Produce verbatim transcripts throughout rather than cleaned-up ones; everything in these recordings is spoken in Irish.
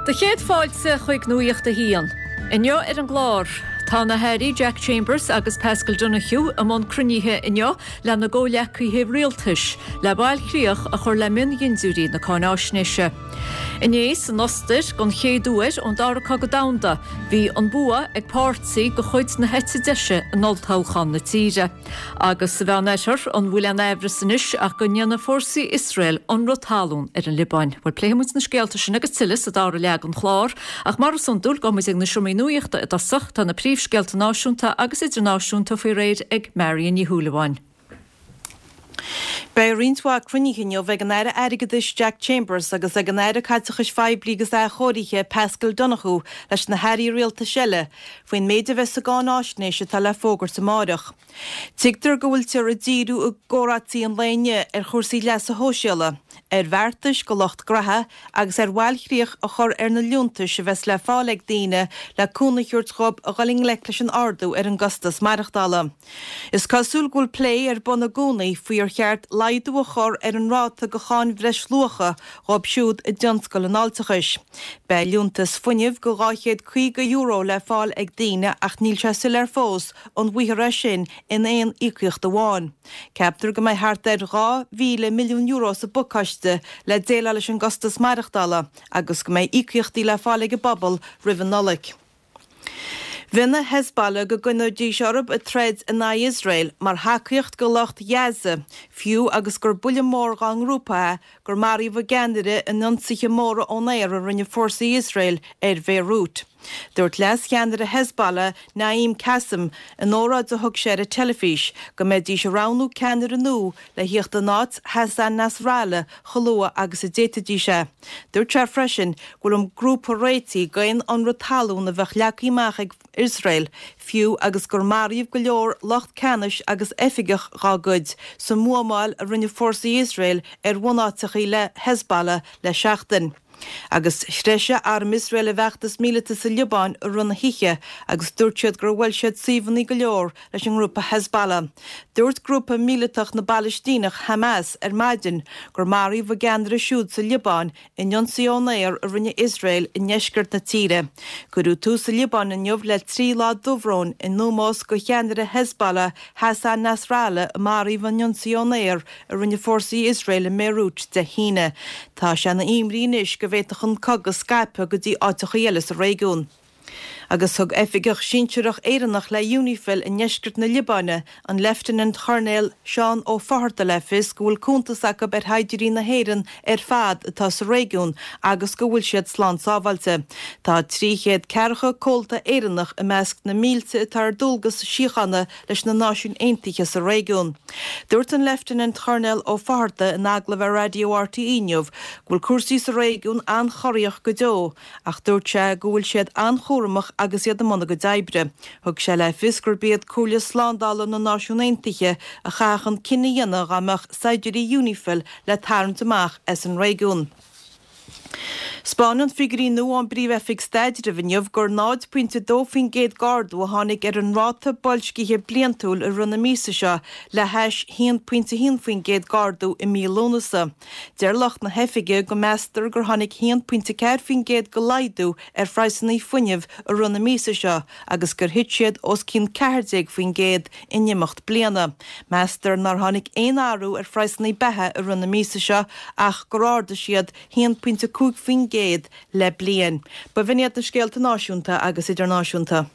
Do chéad fáilte chuig Nuacht a hAon. Inniu ar an gclár, Tá na hAirí Jack Chambers agus Paschal Donohoe i mbun cruinnithe inniu lena gcomhghleacaithe rialtais le bailchríoch a chur le miondinniúirí na cáináisnéise. Inné san Ostair don chéad uair ón dara cogadh domhanda, bhí an bua ag páirtí de chuid na heite deise in olltoghchán na tíre. Agus sa Mheánoirthear an bhfuil aon amhras anois ach go ndéanfaidh fórsaí Iosrael ionradh talún ar an Liobáin. Bhuel pléifidh muid na scéalta sin agus tuilleadh sa dara leath den chlár, ach mar is iondúil gabhfaidh muid ag na seomraí nuachta i dtosach tá na príomhscéalta náisiúnta agus idirnáisiúnta faoi réir ag Marion Ní Shúilleabháin. Beidh roinnt mhaith cruinnithe inniu ag an Aire Airgeadais Jack Chambers agus ag an Aire Caiteachais Phoiblí agus Athchóirithe Paschal Donohoe leis na hairí rialtais eile faoin méid a bheas sa gcáináisnéis atá le fógairt amárach. Tuigtear go bhfuiltear ag díriú i gcomhráití an lae inniu ar chúrsaí leasa shóisialaigh, ar bheartais go lucht graithe agus ar bhailchríoch a chur ar na liúntais a bheas le fáil ag daoine le cúnamh a thabhairt dhóibh a dhul i ngleic leis an ardú ar an gcostas maireachtála. Is cosúil go bhfuil plé ar bun i gcónaí faoi ar cheart laghdú a chur ar an ráta go cháin bhreisluacha dhóibh siúd i dtionscal an fháilteachais. Beidh liúntas fuinnimh go dhá chéad caoga euro le fáil ag daoine ach níl sé soiléir fós an bhfaighfear é sin in aon íocaíocht amháin. Ceaptar go mbeidh thart ar dhá mhíle milliún euro sa bpacáiste le déileáil leis an gcostas maireachtála agus go mbeidh íocaíochtaí le fáil ag an bpobal roimh an Nollaig. Mhionnaigh Hezbollah go gcoinneoidís orthu ag troid in aghaidh Iosrael mar thacaíocht go lucht Ghaza, fiú agus gur buille mór dá ngrúpa é gur maraíodh a gceannaire in ionsaithe móra ón aer a rinne fórsaí Iosrael ar Bhéiriút. Dúirt leas-cheannaire Hezbollah, Naim Qassem, in óráid a thug sé ar an teilifís, go mbeidís ag roghnú ceannaire nua le thíocht in áit Hassan Nasrallah chomh luath agus a d'fhéadfaidís é. Dúirt sé freisin go bhfuil an grúpa réitithe d'aon ionradh talún a bheadh leagtha amach ag Iosrael, fiú agus gur maraíodh go leor lucht ceannais agus oifigeach dhá gcuid sa mbuamáil a rinne fórsaí Iosrael ar bhunáiteacha le Hezbollah le seachtain. Agus threisigh arm Iosrael a bhfeachtas míleata sa Liobáin i rith na hoíche agus dúirt siad gur bhuail siad suíomhanna go leor leis an ngrúpa Hezbollah. Dúirt grúpa míleatach na bPalaistíneach Hamas ar maidin gur maraíodh a gceannaire siúd sa Liobáin in ionsaí ón aer a rinne Iosrael i ndeisceart na tíre. Cuireadh tús sa Liobáin inniu le trí lá dubhróin in ómós go cheannaire Hezbollah Hassan Nasrallah a maraíodh in ionsaí ón aer a rinne fórsaí Iosrael i mBéiriút Dé hAoine. Tá sé ina imní anois go bhféadfadh an cogadh scaipeadh go dtí áiteacha eile sa réigiún. Agus thug oifigeach sinsearach Éireannach le UNIFIL i ndeisceart na Liobáine, an Leifteanant-Choirnéal Seán Ó Fátharta le fios go bhfuil cuntas acu ar shaighdiúirí na hÉireann ar fad atá sa réigiún agus go bhfuil siad slán sábháilte. Tá trí chéad ceathracha comhalta Éireannach i measc na mílte atá ar dualgas síochána leis na Náisiúin Aontaithe sa réigiún. Dúirt an Leifteanant-Choirnéal Ó Fátharta in agallamh ar Raidió RTÉ inniu go bhfuil cúrsaí sa réigiún an-chorraitheach go deo ach dúirt sé go bhfuil siad an-chúramach agus iad i mbun a gcuid oibre. Thug sé le fios gurb iad Comhairle Slándála na Náisiún Aontaithe a chaithfeadh an cinneadh a dhéanamh dá mbeadh saighdiúirí UNIFIL le tarraingt amach as an réigiún. 'Spáineann figiúirí nua ón bPríomh-Oifig Staidrimh inniu gur náid pointe dó faoin gcéad d'ardú a tháinig ar an ráta boilscithe bliantúil i rith na míosa seo le hais haon pointe haon faoin gcéad d'ardú i mí Lúnasa. Deir lucht na hoifige go meastar gur tháinig haon pointe ceathair faoin gcéad de laghdú ar phraghsanna fuinnimh i rith na míosa seo agus gur thit siad os cionn ceathair déag faoin gcéad in imeacht bliana. Meastar nár tháinig aon athrú ar phraghsanna beatha i rith na míosa seo ach gur ardaigh siad haon pointe cúig faoin gcéad le bliain. B'in iad na scéalta náisiúnta agus idirnáisiúnta.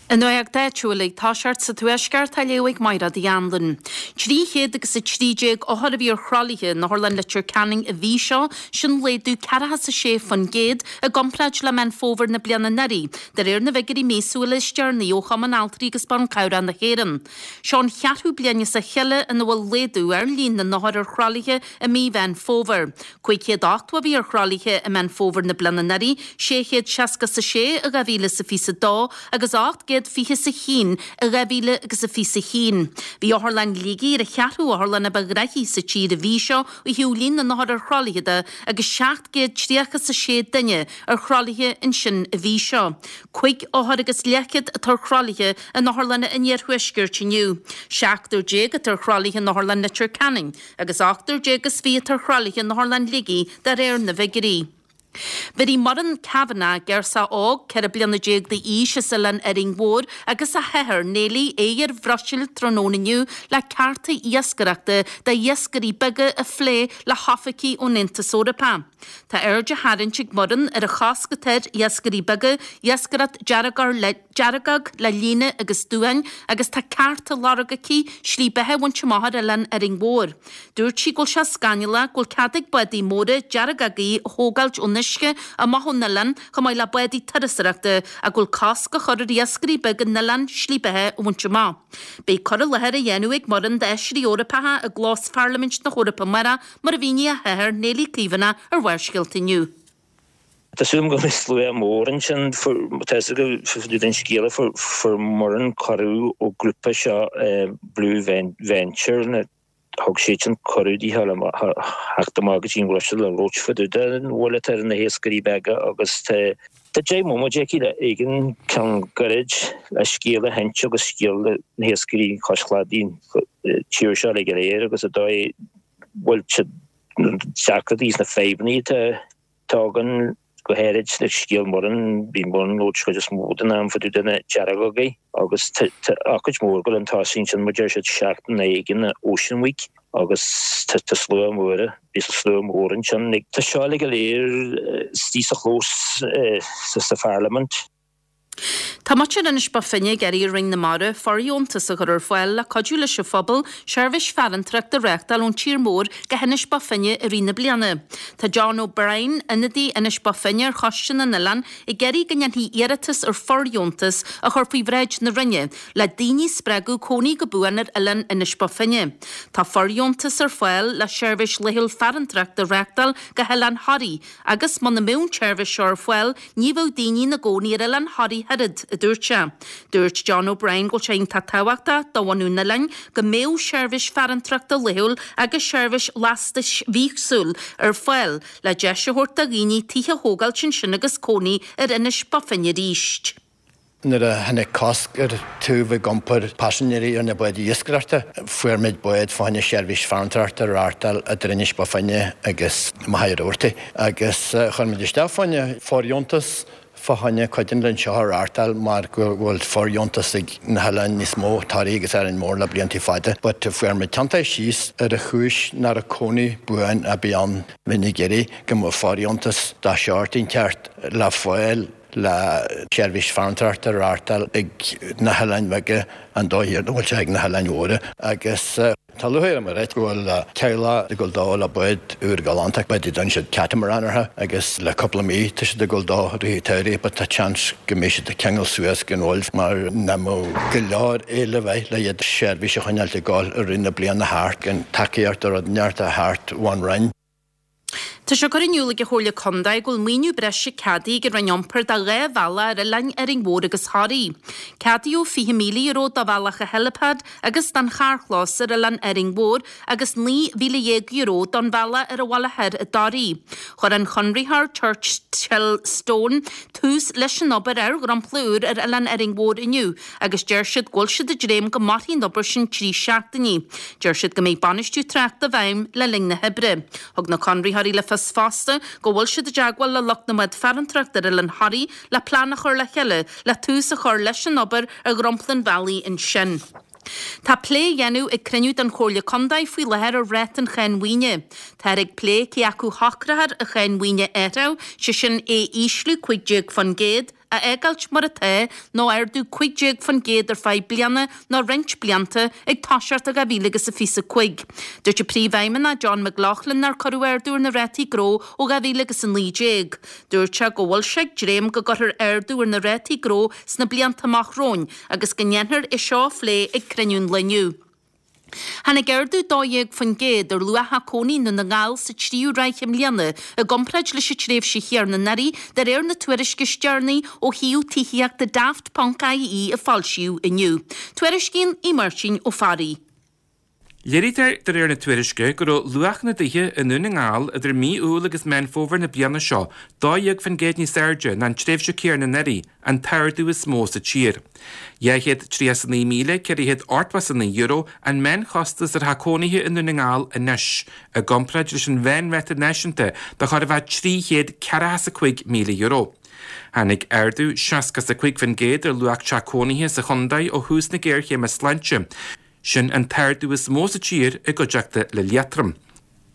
An nuacht áitiúil ag toiseacht sa Tuaisceart á léamh ag Mairéad Uí Anluain. Trí chéad agus a trí déag othar a bhí ar thralaithe in Otharlann Leitir Ceanainn an mhí seo, sin laghdú ceathracha is a sé faoin gcéad i gcomparáid le Meán Fómhair na bliana anuraidh, de réir na bhfigiúirí míosúla is deireanaí ó Chumann Altraí agus Ban Cabhrach na hÉireann. Seo an cheathrú bliain as a chéile ina bhfuil laghdú ar líon na n-othar ar thralaithe i mí Mheán Fómhair. Cúig chéad ochtó a bhí ar thralaithe i Meán Fómhair na bliana anuraidh, sé chéad seasca is a sé i dhá mhíle is a fiche a dó agus ocht gcéad fiche is a haon i dhá mhíle agus a fiche a haon. Bhí Otharlann Shligigh ar an cheathrú otharlann a ba ghnaithí sa tír an mhí seo ó thaobh líon na n-othar ar thralaithe de agus seacht gcéad tríocha is a sé duine ar thralaithe ansin an mhí seo. Cúig othar agus leathchéad atá ar thralaithe in otharlanna an iarthuaiscirt inniu. Seachtar déag atá ar thralaithe in Otharlann Leitir Ceanainn agus ochtar déag is fiche atá ar thralaithe in Otharlann Shligigh de réir na bhfigiúirí. Bhéarfaidh Muireann Kavanagh, girseach óg ceithre bliana déag d'aois as Oileán Árainn Mhór agus a hathair, Neilí, aghaidh ar Bhruiséil tráthnóna inniu le cearta iascaireachta d'iascairí beaga a phlé le hoifigigh ón Aontas Eorpach. Tá aird á tharraingt ag Muireann ar an chosc atá ar iascairí beaga iascaireacht deargóg le líne agus duáin agus tá ceart á lorg aici slí beatha a bhaint amach ar Oileán Árainn Mhór. Dúirt sí go bhfuil sé scannalach go bhfuil cead ag bádaí móra deargógaí a thógáilt ón uisce amach ón oileán chomh maith le bádaí turasóireachta ach go bhfuil cosc á chur ar iascairí beaga an oileáin slí beatha a bhaint amach. Beidh cur i láthair á dhéanamh ag Muireann d'fheisirí Eorpacha i gclós Pharlaimint na hEorpa amárach, mar a mhínigh a hathair, Neilí Caomhánach, ar Bharrscéalta inniu. Tá súil agam go mbeidh slua mór ansin. Tá fhios agat an scéala, fuair Muireann cuireadh ó grúpa seo Blue Venture, thug siadsan cuireadh di theacht amach go dtí an Bhruiséil le labhairt fá dtaobh den bhuille atá ar na hiascairí beaga agus tá deich mbomaite aici le éigin ceann gairid le scéal a sheinnt agus scéal na hiascairí cois cladaigh an tír seo uilig go léir agus an dóigh bhfuil siad na deacrachtaí is na fadhbanna atá againn go háirid le scéal Muireann, bhí Muireann ag labhairt chuid is mó den am fá dtaobh de na deargógaí agus tá ócáid mhór ag dul chun tosaigh ansin mar deir siad seachtain éigin Ocean Week agus tá slua mór, beidh slua mór ansin. Tá seo uilig go léir istigh sa chlós sa Pharlaimint. Tá muintir Inis Bó Finne ag iarraidh ar Roinn na Mara fóirdheontas a chur ar fáil le cuidiú leis an phobal seirbhís farantóireachta a reáchtáil ón tír mór go hInis Bó Finne i rith na bliana. Tá John O'Brien, ionadaí Inis Bó Finne ar Choiste na nOileán, ag iarraidh go ndéanfaí iarratas ar fóirdheontas a chur faoi bhráid na Roinne le daoine a spreagadh cónaí go buan ar oileán Inis Bó Finne. Tá fóirdheontas ar fáil le seirbhís laethúil farantóireachta a reáchtáil go hOileán Thoraí agus muna mbeadh an tseirbhís seo ar fáil ní bheadh daoine ina gcónaí ar Oileán Thoraí oiread, a dúirt sé. Dúirt John O'Brien go bhfuil sé iontach tábhachtach do bhunú an oileáin go mbeadh seirbhís farantóireachta laethúil agus seirbhís lastais mhíosúil ar fáil le deis a thabhairt do dhaoine tithe a thógáilt ansin agus cónaí ar Inis Bó Finne arís. Nuair a tháinig cosc ar tú ag iompar paisinéirí ar na báid iascaireachta, fuair muid bád fá choinne seirbhís farantóireachta a reáchtáil idir Inis Bó Finne agus Machaire Rabhartaigh agus chuir muid isteach fá choinne fóirdheontas fá choinne cuid den linn seo a reáchtáil mar go bhfuil fóirdheontas ag na hoileáin níos mó, Toraigh agus Árainn Mhór le blianta fada. But fuair muid tiontaithe síos ar an chúis nach raibh cónaí buan ar bith ann. Bheinn ag iarraidh go mbeadh fóirdheontas dá shórt inteacht le fáil le seirbhís farantóireachta a reáchtáil ag na hoileáin bheaga an dóigh a bhfuil sé ag na hoileáin mhóra agus tá lúcháir orm a ráit go bhfuil teaghlach ag dul dó le bád úr galánta, bád a dtugann siad catamaran orthu agus le cúpla mí tá siad ag dul dó i rith an tsamhraidh but tá seans go mbeidh siad ag ceangal suas go Uaimh mar nach mbeadh go leor éileamh air le iad seirbhís a choinneáilt ag dul i rith na bliana thart gan tacaíocht nó rud inteacht a theacht ón Roinn. Tá sé curtha in iúl ag an Chomhairle Contae go bhfuil maoiniú breise ceadaithe ag an Roinn Iompair do dhá bhealach ar oileáin Árainn Mhór agus Thoraí. Ceadaíodh fiche míle euro do bhealach an helipad agus don charrchlós ar oileán Árainn Mhór agus naoi mhíle dhéag euro don bhealach ar an Mhullach Thoir i dToraí. Chuir an conraitheoir Churchill Stone tús leis an obair ar dhromchla úr ar oileán Árainn Mhór inniu agus deir siad go bhfuil siad ag dréim go mairfidh an obair sin trí seachtainí. Deir siad go mbeidh bainistiú tráchta i bhfeidhm le linn na hoibre. Thug na conraitheoirí le fios fosta go bhfuil siad i dteagmháil le lucht na mbád farantóireachta ar Oileán Thoraí le plean a chur le chéile le tús a chur leis an obair ar dhromchla an bhealaigh ansin. Tá plé á dhéanamh ag cruinniú den Chomhairle Contae faoi láthair ar ráta an cháin mhaoine. Táthar ag plé cé acu shocrófar an cháin mhaoine a athrú, sé sin é a ísliú cúig déag faoin gcéad, a fhágáilt mar atá nó ardú cúig déag faoin gcéad ar feadh bliana nó roinnt blianta ag toiseacht i dhá mhíle agus a fiche a cúig. Dúirt an Príomhfheidhmeannach John McLaughlin nár cuireadh ardú ar na rátaí gnó ó dhá mhíle agus a naoi déag. Dúirt sé go bhfuil sé ag dréim go gcuirfear ardú ar na rátaí gnó sna blianta amach romhainn agus go ndéanfar é seo a phlé ag cruinniú an lae inniu. Tháinig ardú dó dhéag faoin gcéad ar luacha cónaí i nDún na nGall sa tríú ráithe i mbliana i gcomparáid leis an tréimhse chéanna anuraidh, de réir na tuairisce is deireanaí ó shuíomh tithíochta Daft ponc IE a foilsíodh inniu. Tuairiscíonn Aodh Máirtín Ó Fearraigh. Léirítear de réir na tuairisce go raibh luach na dtithe i nDún na nGall idir mí Iúil agus Meán Fómhair na bliana seo dó dhéag faoin gcéad níos airde ná an tréimhse chéanna anuraidh, an t-ardú is mó sa tír. dhá chéad tríocha is a naoi míle ceithre chéad ochtó is a naoi euro an meánchostas ar theach cónaithe i nDún na nGall anois, i gcomparáid leis an mheánráta náisiúnta de chóir a bheith trí chéad ceathracha is a cúig míle euro. Tháinig ardú seasca is a cúig faoin gcéad ar luach teach cónaithe sa chontae ó thús na géarchéime sláinte. Sin an t-ardú is mó sa tír i gcuideachta le Liatroim.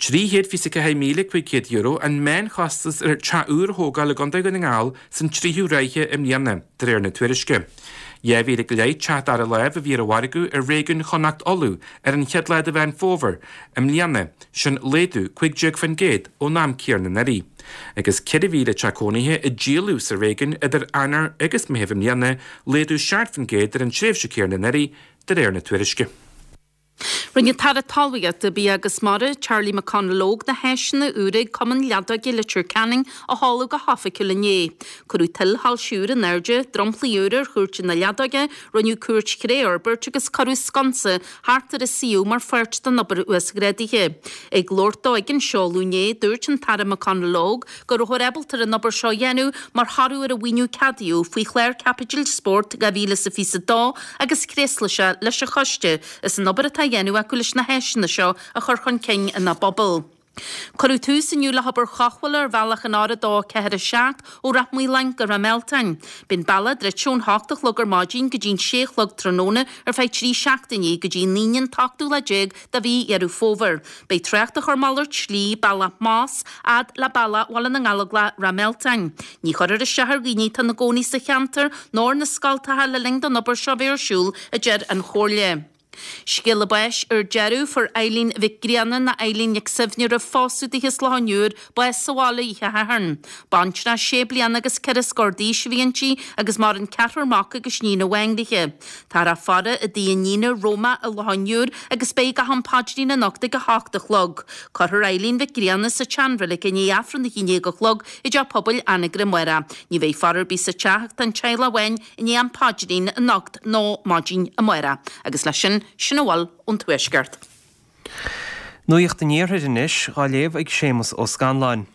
trí chéad fiche a ceathair míle cúig chéad euro an meánchostas ar teach úr a thógáil i gContae Dhún na nGall san tríú ráithe i mbliana, de réir na tuairisce. Dhá mhíle go leith teach dara láimh a bhí ar an mhargadh i réigiún Chonnacht Uladh ar an chéad lá de Mheán Fómhair i mbliana, sin laghdú cúig déag faoin gcéad ón am céanna anuraidh. Agus ceithre mhíle teach cónaithe a díoladh sa réigiún idir Eanáir agus Meitheamh i mbliana, laghdú seacht faoin gcéad ar an tréimhse chéanna anuraidh, de réir na tuairisce. Rinne an tAire Talmhaíochta, Bia agus Mara, Charlie McConalogue, na háiseanna úra ag Cumann Leadóige Leitir Ceanainn a sheoladh go hoifigiúil inné. Cuireadh tuilshoilse úr in airde, dromchlaí úr ar chúirt na leadóige, rinneadh cúirt chré a fhorbairt agus cuireadh sconsa thart ar an suíomh mar pháirt den obair uasghrádaithe. Ag labhairt dó ag an seoladh inné, dúirt an tAire McConalogue go rabhthar ábalta ar an obair seo a dhéanamh mar thoradh ar an mhaoiniú ceadaíodh faoi Chlár Caipitil Spóirt dhá mhíle is a fiche a dó agus thréaslaigh sé leis an choiste as an obair atá á dhéanamh acu leis na háiseanna seo a chur chun cinn ina bpobal. Cuireadh tús inniu le hobair chothabhála ar bhealach an R a dó ceathair a seacht ó Rath Maoláin go Ráth Mealtain. Beidh an bealach druidte ón hocht a chlog ar maidin go dtí'n sé a chlog tráthnóna ar feadh trí seachtainí go dtí an Aoine an t-ochtú lá déag de mhí Dheireadh Fómhair. Beidh trácht á chur malairt slí, bealach Moss, fhad le bealach Bhaile na nGallóglach, Ráth Mealtain. Ní chuirfear isteach ar dhaoine atá ina gcónaí sa cheantar nó ar na scoltacha le linn don obair seo bheith ar siúl, a deir an Chomhairle. Scéala báis ar deireadh, fuair Eileen Mhic Grianna nó Eileen Nic Suibhne roimh phósadh di as Loch an Iúir, bás sa bhaile oíche Shathairn. Baintreach sé bliana agus ceithre scór d'aois a bhí inti agus maireann ceathrar mac agus níon amháin léi. Táthar á faire i dtigh a níne, Roma, i Loch an Iúir agus beidh gach am paidrín anocht ag a hocht a chlog. Cuirfear Eileen Mhic Grianna sa tseanreilig i ndiaidh Aifreann a haon déag a chlog i dTeach Pobail Anagaire amárach. Ní bheidh faire ar bith sa teach ach don teaghlach amháin i ndiaidh am paidrín anocht nó maidin amárach. Agus leis sin, sin a bhfuil ón Tuaisceart. Nuacht an Iarthair anois, á léamh ag Séamus Ó Scanláin.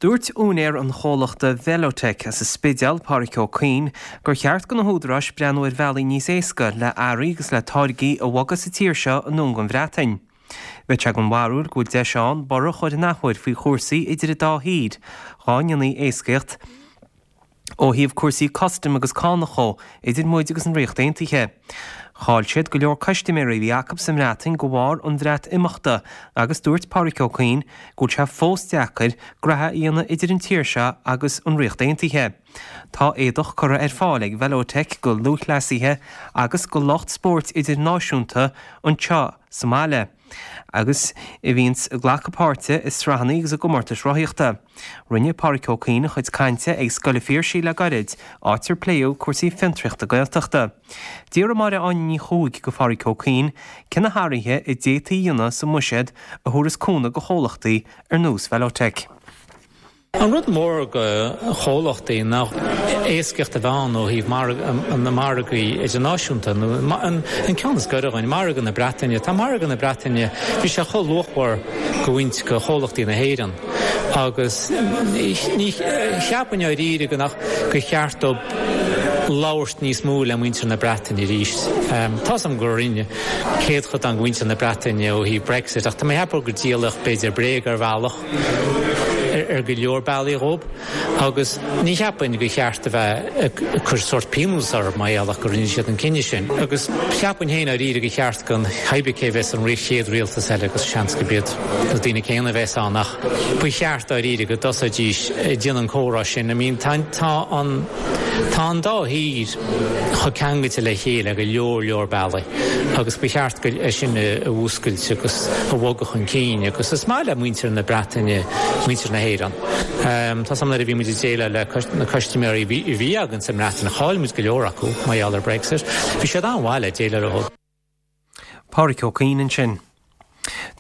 Dúirt úinéir an chomhlachta Velotech as an Spidéal, Páraic Ó Cuinn, gur cheart do na húdaráis breathnú ar bhealaí níos éasca le earraí agus le táirgí a bhogadh sa tír seo anonn gon Bhreatain. Bheadh sé den bharúil go bhfuil deis ann borradh a chur an athuair faoi chúrsaí idir an dá thír, dhá ndéanfaí éascaíocht ó thaobh cúrsaí custaim agus cánach dhó idir muid agus an Ríocht Aontaithe. Chaill siad go leor custaiméirí a bhí acu sa mBreatain de bharr an Bhreatimeachta agus dúirt Páraic Ó Cuinn go bhfuil sé fós deacair graithe a dhéanamh idir an tír seo agus an Ríocht Aontaithe. Tá éadach curtha ar fáil ag Velotech go lúthchleasaithe agus go lucht spóirt idirnáisiúnta anseo sa mbaile agus a bhíonns ag glacadh páirte i sraitheanna agus i gcomórtais rothaíochta. Rinne Páraic Ó Cuinn a chuid cainte ag Scoil an Phiarsaigh le gairid, áit ar pléadh cúrsaí fiontraíochta Gaeltachta. D'fhiafraigh Máire Áine Ní Chuaig go Pháraic Ó Cuinn cé na hathruithe a d'fhéadfaí a dhéanamh sa mbuiséad a thabharfas cúnamh go chomhlachtaí ar nós Velotech. An rud mór go chomhlachtaí ná éascaíocht a bheith ann ó thaobh na margaí idirnáisiúnta nó an ceann is gaire dhúinn, margadh na Breataine. Tá margadh na Breataine, bhí sé chomh luachmhar go bhaint go chomhlachtaí na hÉireann agus ní cheapfainn dáiríre go nach gur cheart dóibh labhairt níos mó le muintir na Breataine arís. Tá's agam gur rinne céadchodán de mhuintir na Breataine ó thaobh Brexit ach tá mé ag ceapadh gur díoladh b'fhéidir bréag ar bhealach. ar go leor bealaí dhób agus ní cheapfainn gur cheart a bheith ag cur sórt pionós orthu mar gheall gur rinne siad an cinneadh sin. Agus cheapfainn féin dáiríre gur cheart go cibé cé bheas an chéad rialtas eile agus seans gurb iad na daoine céanna a bheas ann ach ba cheart dáiríre go dtosóidís ag déanamh an comhrá sin. I mean tá an tá an dá thír chomh ceangailte le chéile ar go leor leor bealaí agus ba cheart go é sin a mhúscailt agus a bhogadh chun cinn agus is maith le muintir na Breataine muintir na hÉireann. Tá's agam nuair a bhí muid ag déileáil le na custaiméirí a bhí againn sa mBreatain, chaill muid go leor acu mar gheall ar Brexit. Bhí siad an-mhaith le déileáil leo. Páraic Ó Cuinn ansin.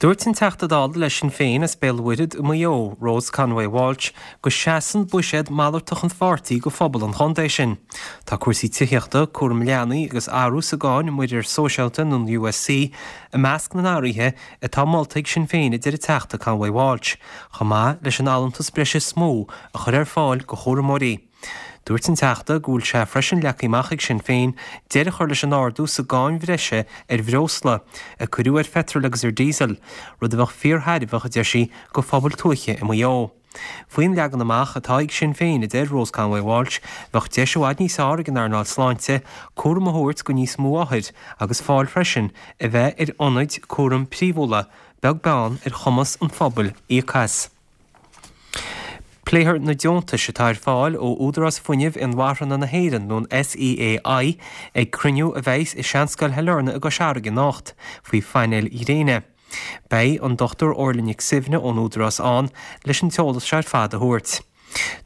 Dúirt an Teachta Dála le Sinn Féin as Béal Mhuirthead i Maigh Eo, Rose Conway Walsh, go seasann buiséad malartach an pháirtí go phobal an chontae sin. Tá cúrsaí tithíochta, cúram leanaí agus athrú sa gcáin muirear sóisialta nó an USC i measc na n-athruithe atá molta ag Sinn Féin a deir an Teachta Conway Walsh, chomh maith leis an allúntas breise is mó a chur ar fáil go chúramóirí. Dúirt an Teachta go bhfuil sé freisin leagtha amach ag Sinn Féin deireadh a chur leis an ardú sa gcáin bhreise ar bhreosla, a cuireadh ar pheitreal agus ar diesel, rud a bheadh fíorthairbheach, a deir sí, go phobail tuaithe i Maigh Eo. Faoin leagan amach atá ag Sinn Féin, a deir Rose Conway Walsh, bheadh deis i bhfad níos fearr ag an earnáil sláinte cúram a thabhairt go níos mó othair agus fáil freisin a bheith ar ionaid cúraim príomhúla, beag beann ar chumas an phobail íoc as. Pléifear na deontais atá ar fáil ó Údarás Fuinnimh Inmharthana na hÉireann, nó an SEAI, ag cruinniú a bheidh i Seanscoil Shailearna i gCois Fharraige anocht, faoi phainéil ghréine. Beidh an Dr Orla Nic Suibhne ón Údarás ann leis an t-eolas seo ar fad a thabhairt.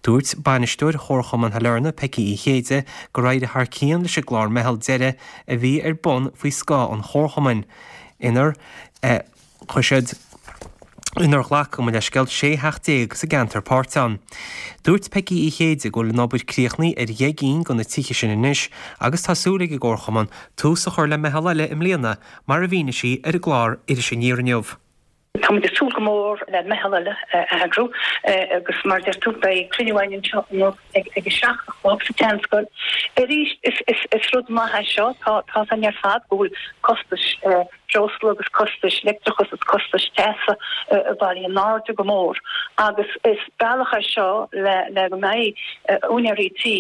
Dúirt bainisteoir Chomharchumann Shailearna, Peigí Uí Chéide, gur éirigh thar cionn leis an gclár Meitheal Deireadh a bhí ar bun faoi scáth an Chomharchumainn, inar chuir siad inar ghlac, gabh mo leithscéal, sé theach déag sa gceantar páirt ann. Dúirt Peigí Uí Chéide go bhfuil an obair críochnaithe ar dheich gcinn de na tithe sin anois agus tá súil ag an gComharchumann tús a chur le meitheal eile i mbliana, mar a mhínigh sí ar an gclár Iris Aniar inniu. Táimid ag súil go mór le meitheal eile a eagrú agus mar a deir tú beidh cruinniú againn anseo anocht ag a seacht a chlog sa tSeanscoil. Arís is rud maith é seo, tá a fhios againn ar fad go bhfuil costais breosla agus costais leictreachais agus costais teasa ag dul in airde go mór agus is bealach é seo le le go mbeidh úinéirí tí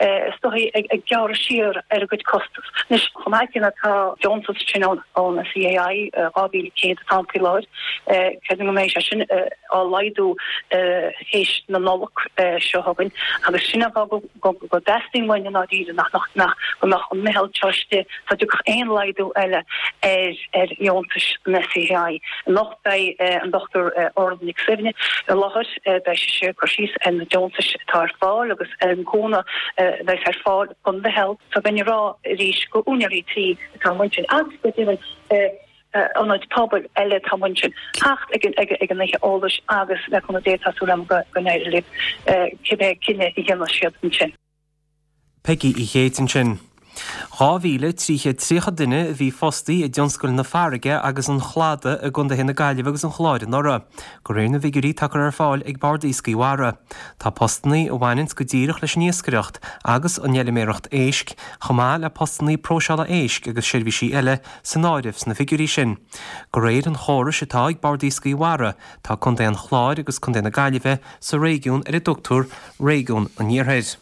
is dóigh ag gearradh siar ar a gcuid costas. Anois chomh maith céanna tá deontas sin ón SEAI dhá mhíle céad atá ann faoi láthair, creidim go mbeidh sé sin á laghdú théis na Nollag seo chugainn agus sin an fáth go go dteastaíonn uainn i ndáiríre nach nach nach go mbeadh an meitheal seo istigh sula dtiocfadh aon laghdú eile ar ar dheontais an SEAI. Anocht beidh an Dr Orla Nic Suibhne i láthair, beidh sise ag cur síos ar na deontais atá ar fáil agus ar an gcúnamh a bheas ar fáil don mheitheal s'againn a rá arís go úinéirí tí atá amuigh ansin agus go deimhin ionaid pobail eile atá amuigh ansin theacht ag an oíche eolais agus le cúnamh Dé tá súil agam go n-éireoidh leo cibé cinneadh a dhéanfaidh siad ansin. Peigí Uí Chéide ansin. Dhá mhíle trí chéad tríocha duine a bhí fostaí i dtionscail na farraige agus an chladaigh i gcontaetha na Gaillimhe agus an Chláir anuraidh, de réir na bhfigiúirí atá curtha ar fáil ag Bord Iascaigh Mhara. Tá postannaí a bhaineanns go díreach leis an iascaireacht agus an fheilméaracht éisc, chomh maith le postannaí próiseála éisc agus seirbhísí eile, san áireamh sna figiúirí sin. De réir an chórais atá ag Bord Iascaigh Mhara, tá Contae an Chláir agus Contae na Gaillimhe sa réigiún ar a dtugtar Réigiún an Iarthair.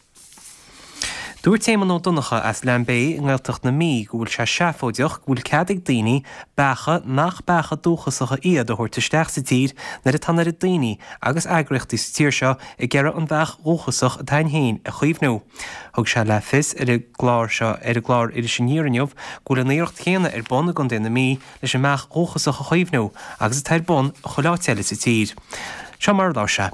Dúirt Éamonn Ó Donnchadha as Lambay i nGaeltacht na Mí go bhfuil sé seafóideach go bhfuil cead ag daoine beacha nach beacha dúchasacha iad a thabhairt isteach sa tír nuair atá an oiread daoine agus eagraíochtaí sa tír seo ag iarraidh an bheach dhúchasach atá againn féin a chaomhnú. Thug sé le fios ar an gclár seo ar an gclár Iris Aniar inniu go bhfuil an iarracht chéanna ar bun i gContae na Mí leis an mbeach dhúchasach a chaomhnú agus atá ar bun chuile áit eile sa tír. Seo mar a labhair sé.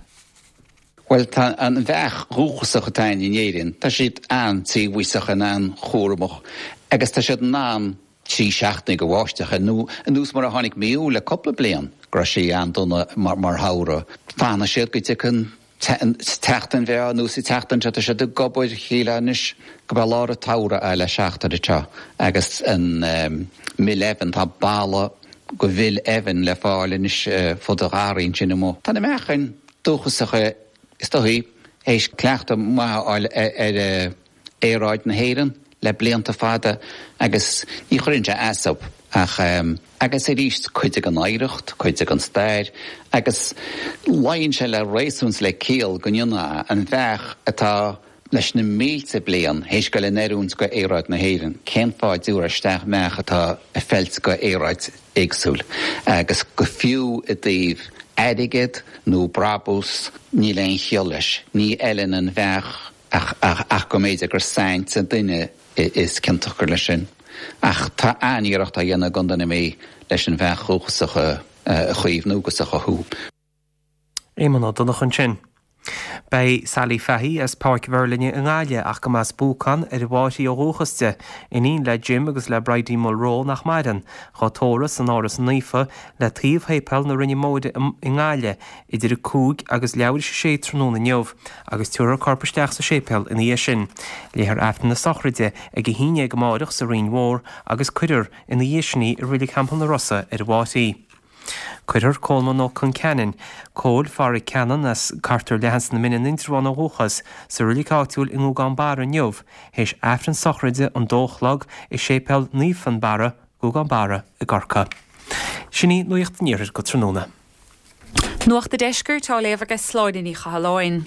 Bhuel, tá an bheach dhúchasach atá againn in Éirinn, tá siad an-tíobhaíosach and an-chúramach agus tá siad in ann trí seachtaine de bháisteach, nó anuas mar a tháinig mí Iúil le cúpla bliain, go raibh sé an-dona mar shamhradh. Fanfaidh siad go dtiocfaidh an tseachtain bhreá anuas an tseachtain seo, tá siad ag obair, shílfeá anois go b'é lár an tsamhraidh é le seachtain anseo agus an mil eibhinn, tá balla de mhil eibhinn le fáil anois fud an gharraí ansin amuigh. Tá na meachain dúchasacha is dóichí théis cleachtadh maith a fháil ar aeráid na hÉireann le blianta fada agus ní chuireann sé as dóibh ach agus arís cuid den oidhreacht, cuid den stair agus luíonn sé le réasún 's le ciall go ndéanfá an bheach atá leis na mílte bliain théis goil in oiriúint go aeráid na hÉireann, cén fáth a dtabharfá isteach mbeach atá ag feilt go aeráid éagsúil agus go fiú i dtaobh airgead nó brabús níl aon chiall leis, ní fheileann an bheach Ach, ach, ach go mb'fhéidir gur saint an duine is ciontach gur leis sin. Ach tá an-iarracht á dhéanamh i gContae na Mí leis an bheach dhúchasach a chaomhnú agus a chothú. Éamonn Ó Donnchadha ansin. Beidh Sally Fahey as Páirc Mheirlinne i nGaillimh ach go mba as Buacán ar an bhFáirche ó dhúchas di, iníon le Jim agus le Bridie Mulroe nach maireann, dhá tórramh san Áras Naofa le taobh Shéipéal na Rinne Móire i nGaillimh idir a cúig agus leathuair tar éis a sé tráthnóna inniu agus tabharfar a corp isteach sa séipéal ina dhiaidh sin. Léifear Aifreann na sochraide ag a haon déag amáireach sa Rinn Mhór agus cuirfear ina dhiaidh sin í i Reilig Theampall na Rosa ar an bhFáirche. Cuirfear Colman Ó Conceanainn, Cóil Phádraig Cannon as Cartar Leathan sna Mine in Indreabhán ó dhúchas, sa reilig áitiúil i nGúgán Barra inniu, théis Aifreann sochraide an dó a chlog i Séipéal Naomh Fionnbarra, Gúgán Barra i gCorcaigh. Sin í Nuacht an Iarthair go tráthnóna. Nuacht an Deiscirt á léamh ag Sláine Ní Chathalláin.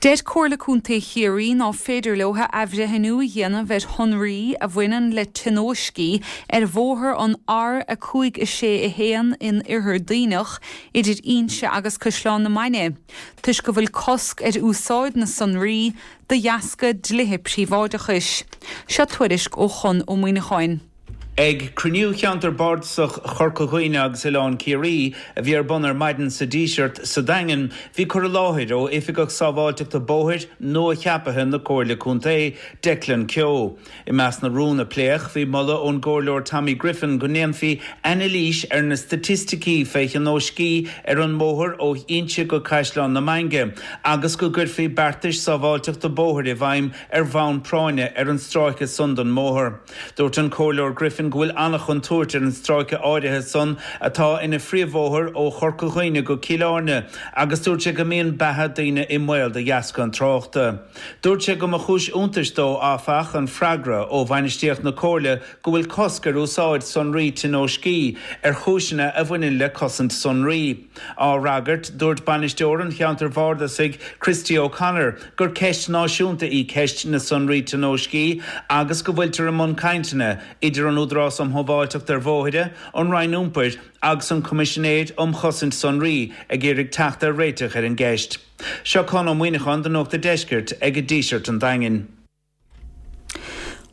Deir Comhairle Contae Chiarraí ná féidir leo athbhreithniú a dhéanamh ar shonraí a bhaineann le tionóiscí ar bhóthar an R a cúig a sé a haon in Oirthear Duibhneach idir Inse agus Caisleán na Mainge, toisc go bhfuil cosc ar úsáid na sonraí de dheasca dlíthe príobháideachais. Seo tuairisc ó Chon Ó Muíneacháin. Ag cruinniú Cheantar Bardasach Chorca Dhuibhne agus Oileán Ciarraí a bhí ar bun ar maidin sa Díseart sa Daingean, bhí cur i láthair ó Oifigeach Sábháilteachta Bóthair nua-cheaptha na Comhairle Contae, Declan Keogh. I measc na rún a pléadh bhí moladh ón gComhairleoir Tommy Griffin go ndéanfaí anailís ar na staitisticí fé thionóiscí ar an mbóthar ó Inse go Caisleán na Mainge agus go gcuirfí beartais sábháilteachta bóthair i bhfeidhm ar bhonn práinne ar an stráice san den mbóthar. Dúirt an Comhairleoir Griffin go bhfuil an-chontúirt ar an stráice áirithe san atá ina phríomhbhóthar ó Chorca Dhuibhne go Cill Airne agus dúirt sé go mbíonn beatha daoine i mbaol de dheasca an tráchta. Dúirt sé go mba chúis iontais dó áfach an freagra ó bhainistíocht na Comhairle go bhfuil cosc ar úsáid sonraí tionóiscí ar chúiseanna a bhaineann le cosaint sonraí. Á fhreagairt, dúirt bainisteoir an cheantair bhardasaigh, Christy O'Connor, gur ceist náisiúnta í ceist na sonraí tionóiscí agus go bhfuiltear i mbun cainteanna idir an Údarás um Shábháilteacht ar Bhóithre, an Roinn Iompair agus an Coimisinéir um Chosaint Sonraí ag iarraidh teacht ar réiteach ar an gceist. Seo Conn Ó Muíneacháin do Nuacht an Deiscirt ag Díseart an Daingin.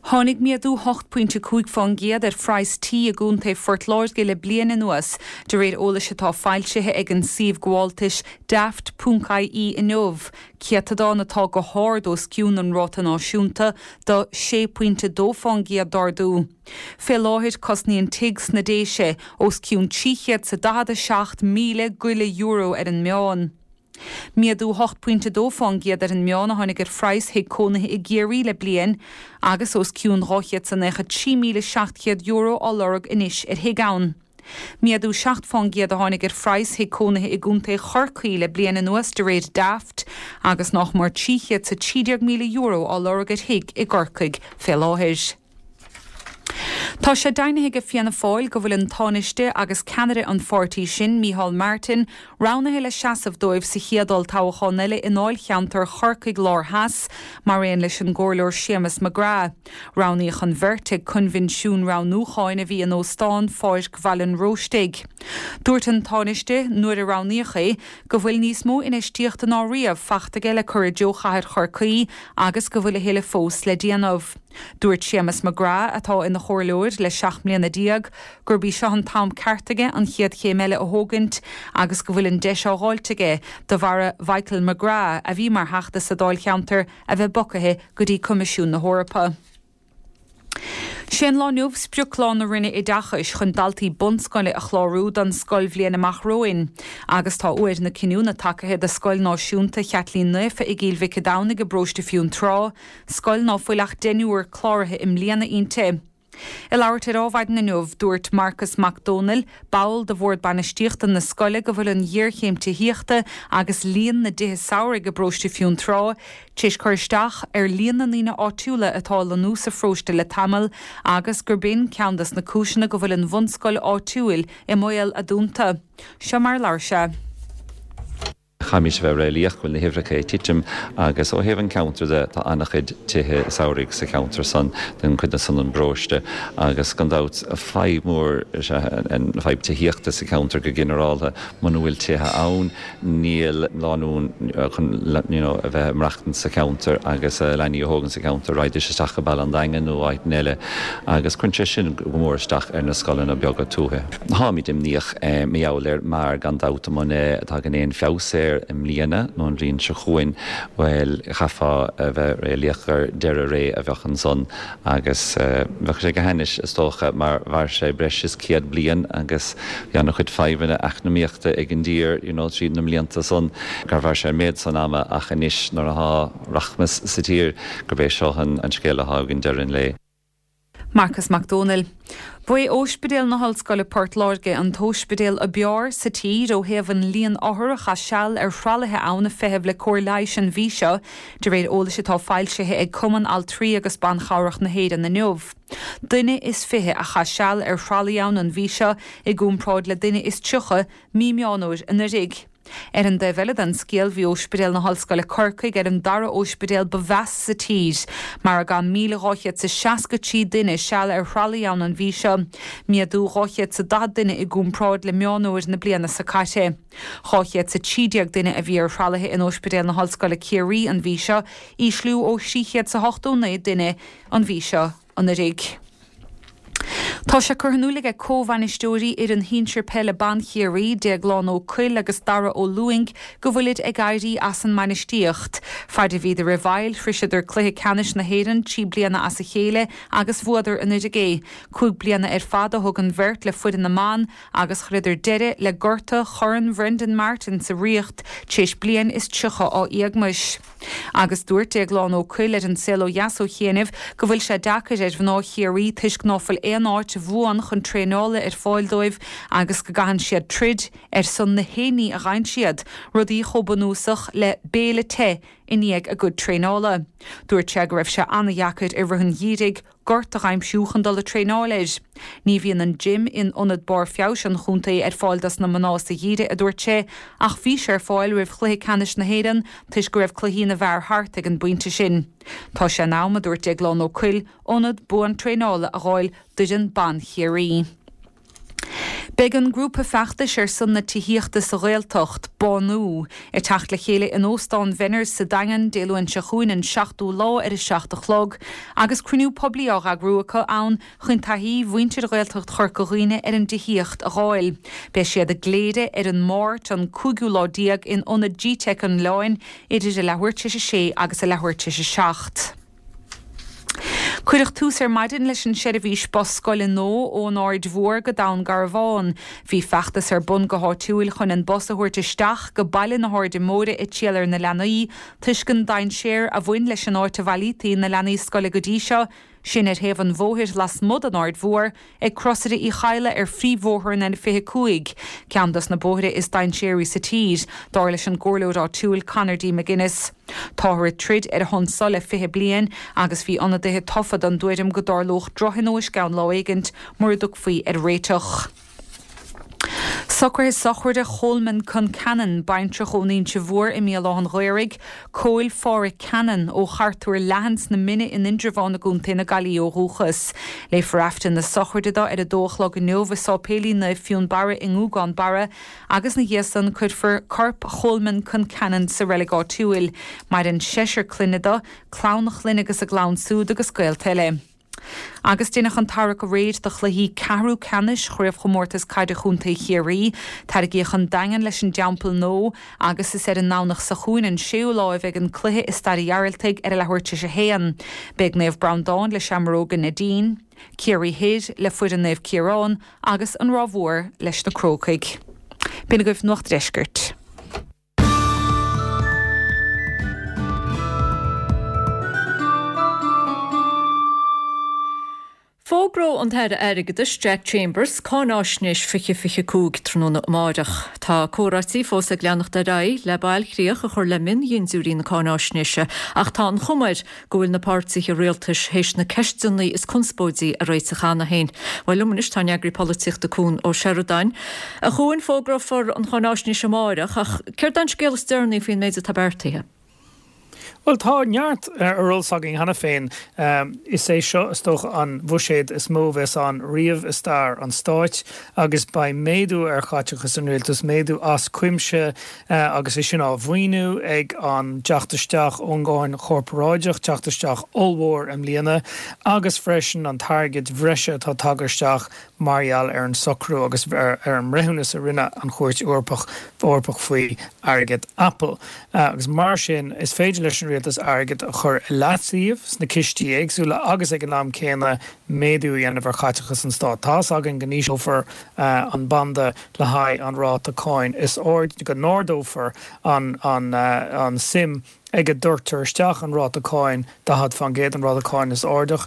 Tháinig méadú hocht pointe cúig fán gcéad ar phraghas tí i gContae Phort Láirge le bliain anuas, de réir eolais atá foilsithe ag an suíomh gabháltais Daft ponc ie inniu, céatadán atá go hard os cionn an ráta náisiúnta de sé pointe dó fán gcéad d'ardú. Fé láthair cosnaíonn tigh sna Déise os cionn trí chéad 's a daichead a seacht míle go leith euro ar an meán. Méadú hocht pointe dó fán gcéad ar an meán a tháinig ar phraghas thigh cónaithe i gCiarraí le bliain agus os cionn dhá chéad 's a naocha trí míle seacht chéad euro á lorg anois ar thigh ann. Méadú seacht fán gcéad a tháinig ar phraghas thigh cónaithe i gContae Chorcaí le bliain anuas de réir Daft agus nach mór trí chéad 's a trí déag míle euro á lorg ar thigh i gCorcaigh fé láthair. Tá sé deimhnithe ag Fianna Fáil go bhfuil an Tánaiste agus ceannaire an pháirtí sin, Micheál Martin, roghnaithe le seasamh dóibh sa chéad olltoghchán eile i ndáilcheantar Chorcaigh Lár Theas, mar aon leis an gComhairleoir Séamus McGrath. Roghnaíodh an bheirt ag coinbhinsiún roghnúcháin a bhí in Óstán Pháirc Bhaile an Róistigh. Dúirt an Tánaiste, nuair a roghnaíodh é, go bhfuil níos mó infheistíochta ná riamh faighte aige le cur i dtreo chathair Chorcaí agus go bhfuil a thuilleadh fós le déanamh. Dúirt Séamus McGrath, atá ina chomhairleoir le seacht mbliana déag, gurb í seo an t-am ceart aige an chéad chéim eile a thógaint agus go bhfuil an deis á dháilt aige de bharra Michael McGrath, a bhí mar Theachta sa Dáilcheantar, a bheith bogtha go dtí Coimisiún na hEorpa. Sé an lá inniu sprioclá na Roinne Oideachais chun daltaí bunscoile a chlárú don scoilbhliain amach romhainn agus tá uair na cinniúna tagaithe do Scoil Náisiúnta Chaitlín Naofa i gCill Mhic an Domhnaigh i bparóiste Fionntrá, scoil ná fuil ach deichniúr cláraithe i mbliana inti. Ag labhairt ar Adhmhaidin inniu, dúirt Marcus Mac Dónaill, ball de bhord bainistíochta na scoile go bhfuil an ghéarchéim tithíochta agus líon na dtithe samhraidh i bparóiste Fionntrá tar éis cur isteach ar líon na ndaoine áitiúla atá ag lonnú sa pharóiste le tamall agus gurb in ceann des na cúiseanna go bhfuil an bhunscoil áitiúil i mbaol a dúnta. Seo mar a labhair sé. Caithfimid a bheith réalaíoch go bhfuil na huimhreacha ag titim agus ó thaobh an cheantair de tá an-chuid tithe samhraidh sa cheantar san den chuid san an bparóiste agus gan dabht fadhb mhór is ea an fadhb tithíochta sa cheantar go ginearálta. Muna bhfuil tithe ann níl lánúin chun you know a bheith ag maireachtaint sa cheantar agus leanaí a thógaint sa cheantar raghaidís isteach go Baile an Daingin nó áiteanna eile agus cuireann sé sin go mór isteach ar na scoileanna beaga tuaithe. Táimid imníoch mar gheall air mar gan dabht muna dtagann aon feabhas air i mbliana nó an bhliain seo chugainn, bhuel, chaithfeá a bheith réalaíoch gur deireadh ré a bheadh ansan agus bheadh sé go hainnis, is dócha, mar mhair sé breis is céad bliain agus bhí an-chuid fadhbanna eacnamaíochta ag an dtír you know tríd na mblianta san gur mhair sé an méid san ama ach anois nuair atá rachmas sa tír gurb é seo an scéal atá againn deireadh an lae. Marcas Mac Dónaill. Ba é Óispidéal na hOllscoile Port Láirge an t-óispidéal ab fhearr sa tír ó thaobh an líon othar a chaith seal ar thralaithe ann ag feitheamh le cóir leighis an mhí seo, de réir eolais atá foilsithe ag Cumann Altraí agus Ban Chabhrach na hÉireann inniu. Duine is fiche a chaith seal ar thralaí ann an mhí seo i gcomparáid le duine is tríocha mí Meán Fhómhair anuraidh. Ar an dtaobh eile den scéal, bhí Óispidéal na hOllscoile Corcaigh ar an dara óispidéal ba mheasa sa tír, mar a gcaith míle dhá chéad 's a seasca trí duine seal ar thralaí ann an mhí seo, méadú dhá chéad 's a daichead duine i gcomparáid le Meán Fhómhair na bliana seo caite. Dhá chéad 's a trí déag duine a bhí ar thralaithe in Óispidéal na hOllscoile Ciarraí an mhí seo, ísliú ó thrí chéad 's a hochtó naoi duine an mhí seo anuraidh. Tá sé curtha in iúl aige comhbhainisteoirí fhoireann shinsir peile ban Chiarraí, Déaglán Ó Cuill agus Dara Ó Lúing, go bhfuilid ag éirí as an mbainistíocht. Faid a bhíodar i bhfeighil, shroiseadar cluiche ceannais na hÉireann trí bliana as a chéile agus bhuadar anuraidh é. Cúig bliana ar fad a thug an bheirt le foireann na mban agus chuireadar deireadh le gorta Chorn Bhrendan Martin sa Ríocht tar éis bliain is tríocha á éagmais. Agus dúirt Déaglán Ó Cuill ar An Saol Ó Dheas ó chianaibh go bhfuil sé deacair ar mhná Chiarraí toisc ná fuil aon áit bhuan chun traenála ar fáil dóibh agus go gcaitheann siad troid ar son na haon ní a gheibheann siad, rudaí chomh bunúsach le béile te i ndiaidh a gcuid traenála. Dúirt sé go raibh sé an-dheacair i rith an gheimhridh gort a dh'aimsiú chun dul ag traenáil air. Ní bhíonn an gym in Ionad Barr Feabhais an chontae ar fáil dos na mná sa gheimhreadh, a dúirt sé, ach bhí sé ar fáil roimh chluiche ceannais na hÉireann toisc go raibh cluichí na bhfear thart ag an bpointe sin. Tá sé in am, a dúirt Déaglán Ó Cuill, ionad buan traenála a dh'fháil d'fhoireann ban Chiarraí. Beidh an grúpa feachtais ar son na tithíochta sa Ghaeltacht, Bánú, ag teacht le chéile in Óstán Bhenners sa Daingean Dé Luain seo chugainn an seachtú lá ar a seacht a chlog agus cruinniú poiblí á eagrú acu ann chun taithí mhuintir Ghaeltacht Chorca Dhuibhne ar an dtithíocht a dh'fháil. Beidh siad i gCléire ar an Máirt an cúigiú lá déag in Ionad Gteic an Oileáin idir a leathuair tar éis a sé agus a leathuair tar éis a seacht. Cuireadh tús ar maidin leis an seirbhís bus scoile nua ón Aird Mhór go Dún Garbhán. Bhí feachtas ar bun go háitiúil chun an bus a thabhairt isteach go baile na hAirde Móire ag triall ar na leanaí, toisc an dainséar a bhain leis an áit a bhailítí na leanaí scoile go dtí seo, sin ar thaobh an bhóthair lasmuigh den Aird Mhór, ag Crosaire Uí Chadhla ar phríomhbhóthar an N fiche cúig, ceann dos na bóithre is dainséaraí sa tír, dar leis an gcomhairleoir áitiúil Conor D. McGuinness. Táthar ag troid ar a shon so le fiche bliain agus bhí ionadaithe tofa den dtuairim go dtarlódh drochthionóisc ann lá éigint mura dtiocfaí ar réiteach. Socruithe sochraide Cholman Concannon, baintreach ón Inse Mhór i mBéal Átha an Ghaorthaidh, Cóil Phádhraic Cannon ó Chartúr Leathan sna Mine in Indreabhán i gContae na Gaillimhe ó dhúchas. Léifear Aifreann na sochraide dó ar a dó a chlog inniu i Sáipéilín Naomh Fionnbarra i nGúgán Barra agus ina dhiaidh san cuirfear corp Cholman Concannon sa reilig áitiúil. Maireann seisear clainne dó, clann a chlainne agus a gclann súd agus gaolta eile. Agus deineadh an tarrac aréir do chluichí ceathrú ceannais Chraobhchomórtas Caide Chontae Chiarraí. Tarraingíodh an Daingean leis an dTeampall Nua agus is ar an nDomhnach seo chugainn an séú lá a bheidh an cluiche i Staid an Ghearaltaigh ar a leathuair tar éis a haon. Beidh Naomh Breandán le Seamróga Neidín, Ciarraí Thoir le foireann Naomh Ciarán agus an Ráth Mhór leis na Crócaigh. B'in agaibh Nuacht an Deiscirt. Fógróidh an tAire Airgeadais Jack Chambers cáináisnéis fiche fiche cúig tráthnóna amáireach. Tá comhráití fós ag leanacht ar aghaidh le bailchríoch a chur le miondhintiúirí na cáináisnéise ach tá an chuma air go bhfuil na páirtithe rialtais théis na ceisteanna is conspóidí a réiteach cheana féin. Bhuel liom anois tá an eagraí polaitíochta Cuan Ó Seireadáin. A Chuain, fógrófar an cháináisnéis amáireach ach céard é an scéal is deireanaí faoin méid atá beartaithe? Bhuel, tá neart ar eolas againn cheana féin. Is é seo, is dócha, an bhuiséad is mó a bheas ann riamh i stair an stáit agus beidh méadú ar chaiteachas an rialtais, méadú as cuimse agus é sin á mhaoiniú ag an dteacht isteach ón gcáin chorparáideach, teacht isteach ollmhór i mbliana, agus freisin an t-airgead bhreise atá tagtha isteach mar gheall ar an socrú agus ar an mbreithiúnas a rinne an Chúirt Eorpach Eorpach faoi airgead Apple. Agus mar sin, is féidir leis an rialtas airgead a chur i leataobh sna cistí éagsúla agus ag an am céanna méadú a dhéanamh ar chaiteachas an stáit. Tá's againn go n-ísleofar an banda le haghaidh an ráta cáin is airde, go n-ardófar an an suim ag a dtabhartar isteach an ráta cáin daichead faoin gcéad, an ráta cáin is airde,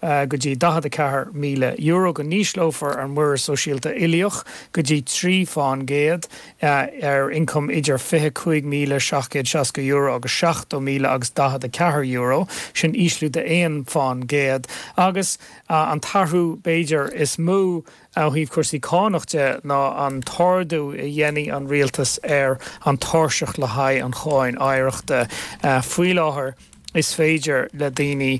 go dtí daichead a ceathair míle euro, go n-ísleofar an muirear sóisialta uilíoch go dtí trí faoin gcéad ar ioncam idir fiche cúig míle seacht gcéad seasca euro agus seachtó míle agus daichead a ceathair euro, sin ísliú de aon faoin gcéad, agus an t-athrú b'fhéidir is mó Ó thaobh cúrsaí cánach de ná an t-ardú a dhéanfaidh an rialtas ar an tairseach le haghaidh an cháin oidhreachta. Faoi láthair is féidir le daoine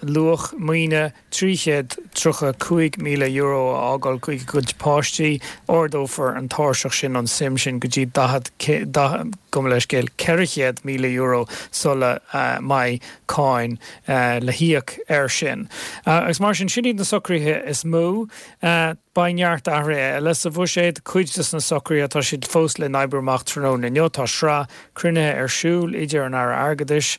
luach maoine trí chéad tríocha cúig míle euro a fhágáil chuig a gcuid páistí. Ardófar an tairseach sin, an suim sin, go dtí daichead, gabh mo leithscéal, ceithre chéad míle euro sula mbeidh cáin le híoc air sin. Agus mar sin, sin iad na socruithe is mó. Beidh neart athruithe eile sa bhuiséad. Cuid de na socruithe, tá siad fós le n-oibriú amach tráthnóna inniu. Tá sraith cruinnithe ar siúl idir an Aire Airgeadais,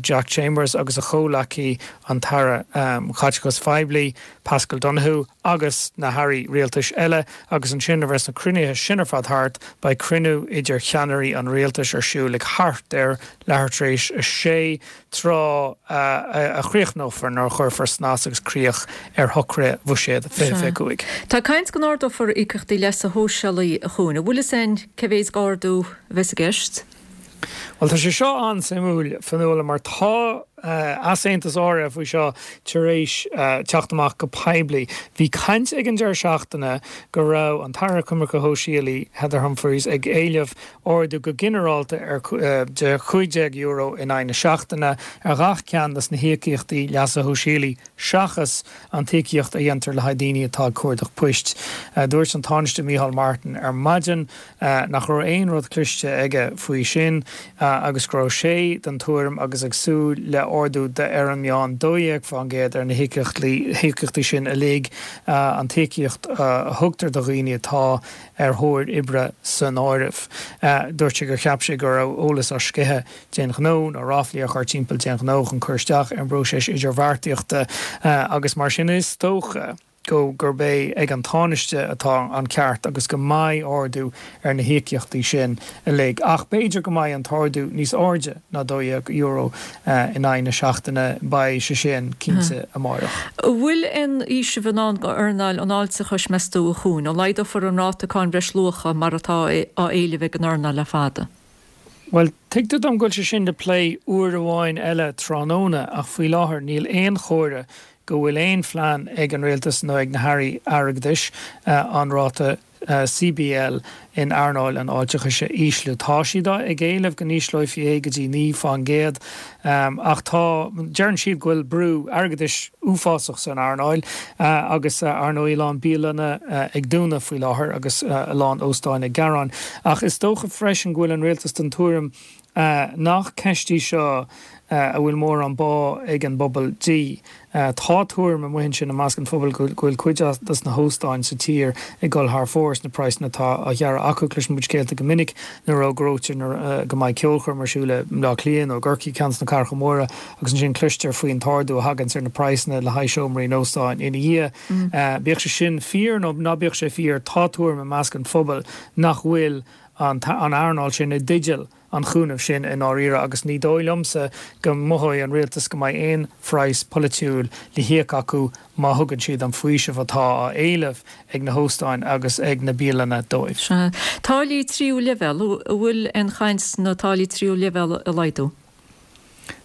Jack Chambers, agus a chomhleacaí, an tAire Caiteachais Phoiblí, Paschal Donohoe, agus na hairí rialtais eile. Agus ansin, nuair a bheas na cruinnithe sin ar fad thart, beidh cruinniú idir cheannairí an rialtais ar siúl ag thart ar leathuair tar éis a sé, tráth a chríochnófar nó a chuirfear snas agus críoch ar shocruithe Bhuiséad fiche fiche cúig. Tá caint go n-ardófar íocaíochtaí leasa shóisialaigh, a Chuain. An bhfuil fhios a'inn cé mhéid d'ardú a bheas i gceist? Bhuel, tá sé seo an-suimiúil, Fionnuala, mar tá easaontas áirithe faoi seo tar éis teacht amach go poiblí. Bhí caint ag an deireadh seachtaine go raibh an tAire Coimirce Shóisialaí, Heather Humphreys, ag éileamh ardú go ginearálta ar de chúig déag euro in aghaidh na seachtaine ar ghach ceann des na híocaíochtaí leasa shóisialaigh seachas an t-íocaíocht a dhéantar le haghaidh daoine atá ag cuardach poist. Dúirt an Tánaiste Micheál Martin ar maidin nach raibh aon rud cloiste aige faoi sin agus go raibh sé den tuairim agus ag súil le ardú de ar an meán dó dhéag fán gcéad ar na híocaíochtaí sin uilig, an t-íocaíocht a thugtar do dhaoine atá ar thóir oibre san áireamh. Dúirt sé gur cheap sé go raibh eolas á sceitheadh d'aon ghnó nó ráflaí á chur timpeall d'aon ghnó chun cur isteach ar an bpróiseas idirbheartaíochta agus mar sin is dócha go gurb é ag an Tánaiste atá an ceart agus go mbeidh ardú ar na híocaíochtaí sin uilig. Ach b'fhéidir go mbeidh an t-ardú níos airde ná dó dhéag euro in aghaidh na seachtaine, beidh sé sin cinnte amárach. An bhfuil aon fhaoiseamh i ndán do earnáil an fháilteachais, meas tú, a Chuain? An laghdófar an ráta cáin bhreisluacha mar atá á éileamh ag an earnáil le fada? Bhuel, tuigtear dom go bhfuil sé sin le plé uair amháin eile tráthnóna ach faoi láthair níl aon chomhartha go bhfuil aon phlean ag an Rialtas nó ag na hAirí Airgeadais an ráta C B L in earnáil an fháilteachais a ísliú. Tá siad ag éileamh go n-ísleofaí é go dtí naoi fán gcéad ach tá, deireann siad go bhfuil brú airgeadais uafásach san earnáil agus ar ndóigh a lán bialanna ag dúnadh faoi láthair agus a lán óstáin ag gearán. Ach is dócha freisin go bhfuil an Rialtas den tuairim nach ceist í seo a bhfuil mórán bá ag an bpobal di. Tá tuairim amuigh ansin i measc an phobail go bhfuil cuid des na hóstáin sa tír ag dul thar fóir sna praghsanna atá á ghearradh acu. Cloiseann muid scéalta go minic nuair a fhógraítear go mbeidh ceolchoirm ar siúl i mBleá Cliath nó i gCorcaigh, ceann des na cathracha móra, agus ansin cloistear faoin t-ardú a thaganns ar na praghsanna le haghaidh seomraí in óstáin ina dhiaidh. Bíodh sé sin fíor nó ná bíodh sé fíor, tá tuairim i measc an phobail nach bhfuil an earnáil sin i dteideal an chúnaimh sin i ndáiríre agus ní dóigh liomsa go mothóidh an rialtas go mbeidh aon phraghas polaitiúil le híoc acu má thugann siad an faoiseamh atá á éileamh ag na hóstáin agus ag na bialanna dóibh. Sea. Táillí tríú leibhéal, an bhfuil aon chaint na táillí tríú leibhéal a laghdú?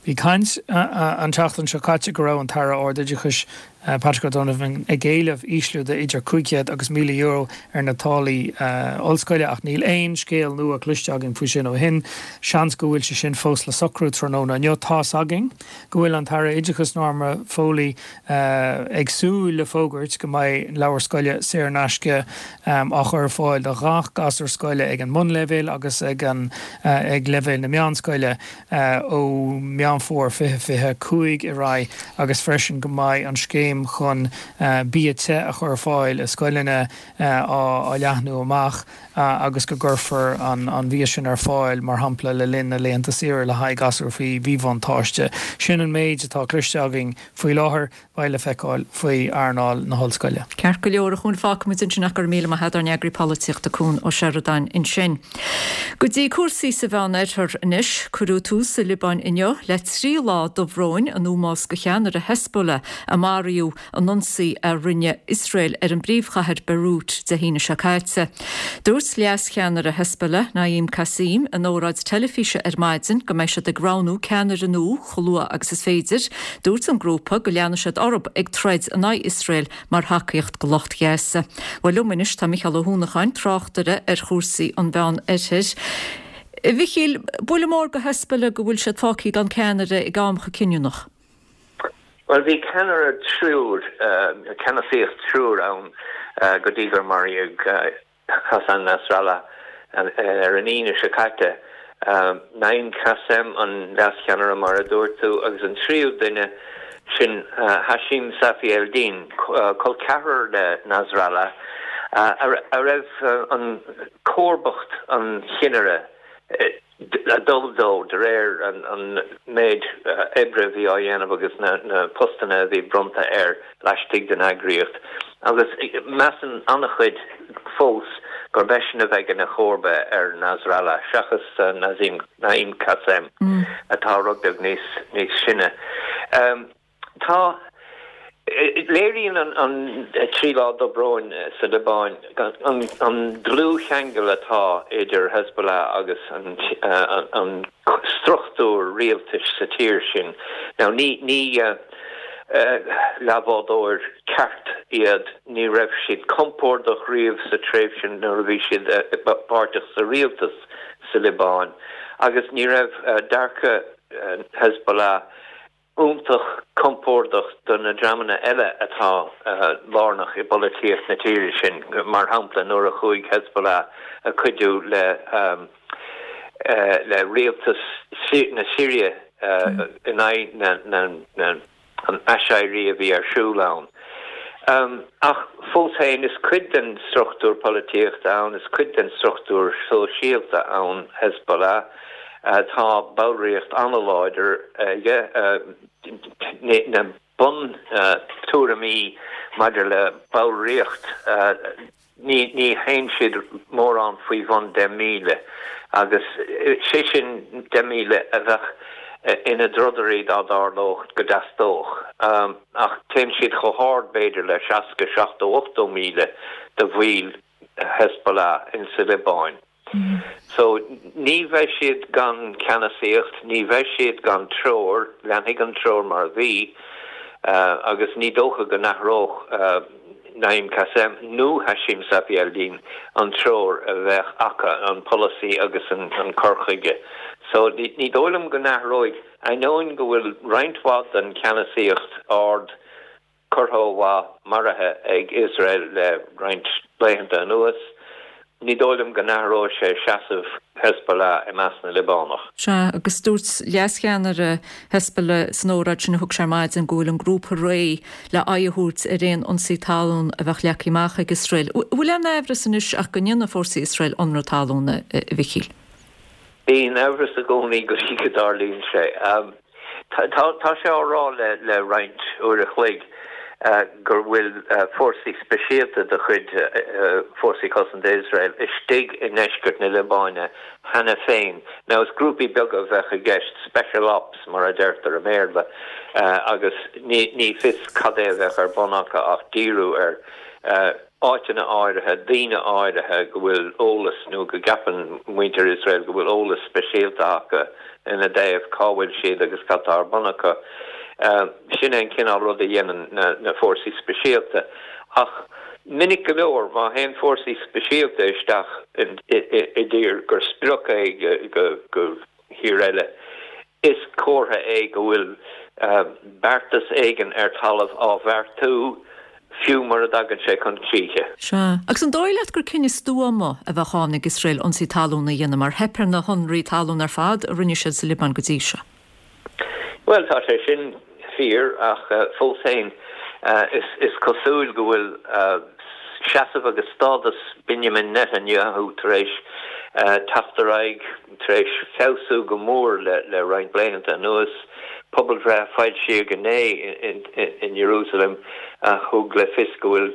Bhí caint an tseachtain seo caite go raibh an tAire Ardoideachais Patrick O'Donovan ag éileamh ísliú de idir cúig chéad agus míle euro ar na táillí ollscoile ach níl aon scéal nua cloiste againn faoi sin ó shin. Seans go bhfuil sé sin fós le socrú tráthnóna inniu. Tá's againn go bhfuil an tAire Oideachais Norma Foley ag súil le fógairt go mbeidh leabhair scoile saor in aisce á chur ar fáil do ghach gasúr scoile ag an mbunleibhéal agus ag an ag leibhéal na meánscoile ó Meán Fómhair fiche fiche cúig ar aghaidh agus freisin go mbeidh an scéim chun bia te a chur ar fáil i scoileanna á leathnú amach agus go gcuirfear an bia sin ar fáil, mar shampla le linn na laethanta saoire le haghaidh gasúir faoi mhíbhuntáiste. Sin an méid atá cloiste againn faoi láthair. Beidh le feiceáil faoi earnáil na hollscoile. Ceart go leor, a Chuain, fágfaimid ansin ach go raibh míle maith agat ár n-eagraí polaitíochta Cuan Ó Seireadáin ansin. Go dtí cúrsaí sa Mheán-Oirthear anois. Cuireadh tús sa Liobáin inniu le trí lá dobhróin in ómós do cheannaire Hezbollah a maraíodh in ionsaí a rinne Iosrael ar an bpríomhchathair Beirut Dé hAoine seo caite. Dúirt leascheannaire Hezbollah, Naim Qassem, in óráid teilifíse ar maidin go mbeidh siad ag roghnú ceannaire nua chomh luath agus is féidir. Dúirt an grúpa go leanfaidh siad orthu ag troid in aghaidh Iosrael mar thacaíocht do lucht Ghaza. Bhuel liom anois tá Micheál Ó hUanacháin, tráchtaire ar chúrsaí an Mheán-Oirthir. A Mhichíl, buille mór do Hezbollah go bhfuil siad fágtha gan ceannaire ag am chomh cinniúnach. Bhuel, bhí ceannaire triúr, ceannasaíocht triúr ann go dtí gur maraíodh Hassan Nasrallah ar an Aoine seo caite. Naim Qassem, an leascheannaire mar a dúirt tú, agus an tríú duine, sin Hashim Safieddine, col ceathrar le Nasrallah, a raibh an comharbacht an chinnire ag dul dó de réir an méid oibre a bhí á dhéanamh agus na postanna a bhí bronnta air laistigh den eagraíocht agus measann an-chuid fós gurb eisean a bheidh ina chomharba ar Nasrallah seachas Naim Qassem atá rud beag níos sine. Tá. Léiríonn an trí lá dobróin sa Liobáin an dlúthcheangal atá idir Hezbollah agus an struchtúr rialtais sa tír sin. Now ní leathbhádóir ceart iad, ní raibh siad compordach riamh sa tréimhse nuair a bhí siad páirteach sa rialtas sa Liobáin agus ní raibh dearcadh Hezbollah iontach compordach do na dreamanna eile atá lárnach i bpolaitíocht na tíre sin, mar shampla nuair a chuaigh Hezbollah ag cuidiú le le rialtas na Siria in aghaidh na an aiséirí a bhí ar siúl ann. Ach fós féin, is cuid den struchtúr polaitíochta ann, is cuid den struchtúr sóisialta ann Hezbollah. Tá ballraíocht an-láidir aige. Na buntuairimí maidir le ballraíocht, Ní théann siad mórán faoi bhun deich míle, agus sé sin deich míle a bheadh ina dtrodairí dá dtarlódh go dteastódh. Ach téann siad chomh hard, b'fhéidir, le seasca, seachtó, ochtó míle de bhaill Hezbollah insa Liobáin. So, ní bheidh siad gan ceannasaíocht, ní bheidh siad gan treoir, leanfaidh an treoir mar a bhí, agus ní dócha go n-athródh Naim Qassem nó Hashim Safieddine an treoir a bheadh acu, an polasaí agus an cur chuige. So, ní dóigh liom go n-athróidh, ainneoin go bhfuil roinnt mhaith den cheannasaíocht ard, curtha ó mhaith, maraithe ag Iosrael le roinnt laethanta anuas. Ní dóigh liom go n-athróidh sé seasamh Hezbollah i measc na Liobánach. Sea, agus dúirt leascheannaire Hezbollah san óráid sin a thug sé ar maidin go bhfuil an grúpa réidh le aghaidh a thabhairt ar aon ionsaí talún a bheadh leagtha amach ag Iosrael. Bhfuil aon amhras anois ach go ndéanfaidh fórsaí Iosrael ionradh talún, a Mhichíl? Bíonn amhras i gcónaí go dtí go dtarlaíonn sé. Tá sé á rá le roinnt uair a chloig go bhfuil fórsaí speisialta de chuid Fórsaí Cosanta Iosrael istigh i ndeisceart na Liobáine cheana féin. Now is grúpaí beaga a bheadh i gceist, special ops mar a deirtear i mBéarla, agus ní fios cad é a bheadh ar bun acu ach díriú ar áiteanna áirithe, daoine áirithe go bhfuil eolas nó go gceapann muintir Iosrael go bhfuil eolas speisialta acu ina dtaobh, cá bhfuil siad agus cad tá ar bun acu. Sin é an cineál rud a dhéanann na fórsaí speisialta. Ach minic go leor, má théann fórsaí speisialta isteach i dtír gur sprioc é go thír eile, is comhartha é go bhfuil beartas éigin ar talamh á bheartú, fiú mura dtagann sé chun críche. Sea. Agus an dóigh leat gur cinneadh stuama a bheadh ann ag Iosrael ionsaí talún a dhéanamh mar theip ar na hionraí talún ar fad a rinne siad sa Liobáin go dtí seo? Bhuel, tá sé sin fíor, ach fós féin, is cosúil go bhfuil seasamh agus stádas Benjamin Netanyahu tar éis teacht ar aghaidh, tar éis feabhsú go mór le roinnt laethanta anuas. Pobalbhreith a foilsíodh inné in Ierúsalem a thug le fios go bhfuil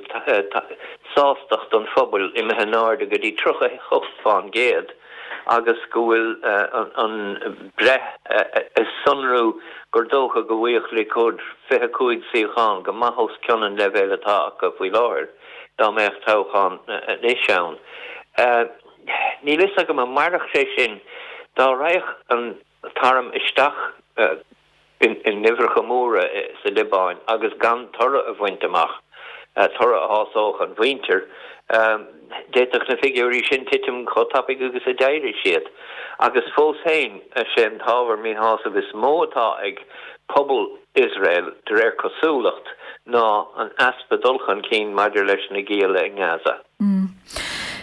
sástacht an phobail imithe in airde go dtí tríocha a hocht fán gcéad agus go bhfuil an bhreith ag sonrú gur dócha go bhfaigheadh Likud fiche cúig suíochán, go maith os cionn an leibhéil atá acu faoi láthair dá mbeadh toghchán anois ann. Níl fhios agam an mairfeadh sé sin dá raghadh an t-arm isteach in uimhreacha móra sa Liobáin agus gan toradh a bhaint amach, toradh a shásódh an mhuintir. D'fhéadfadh na figiúirí sin titim chomh tapaidh agus a d'éirigh siad. Agus fós féin, is é an t-ábhar míshásaimh is mó atá ag pobal Iosrael, de réir cosúlacht, ná an easpa dul chun cinn maidir leis na gialla i nGaza.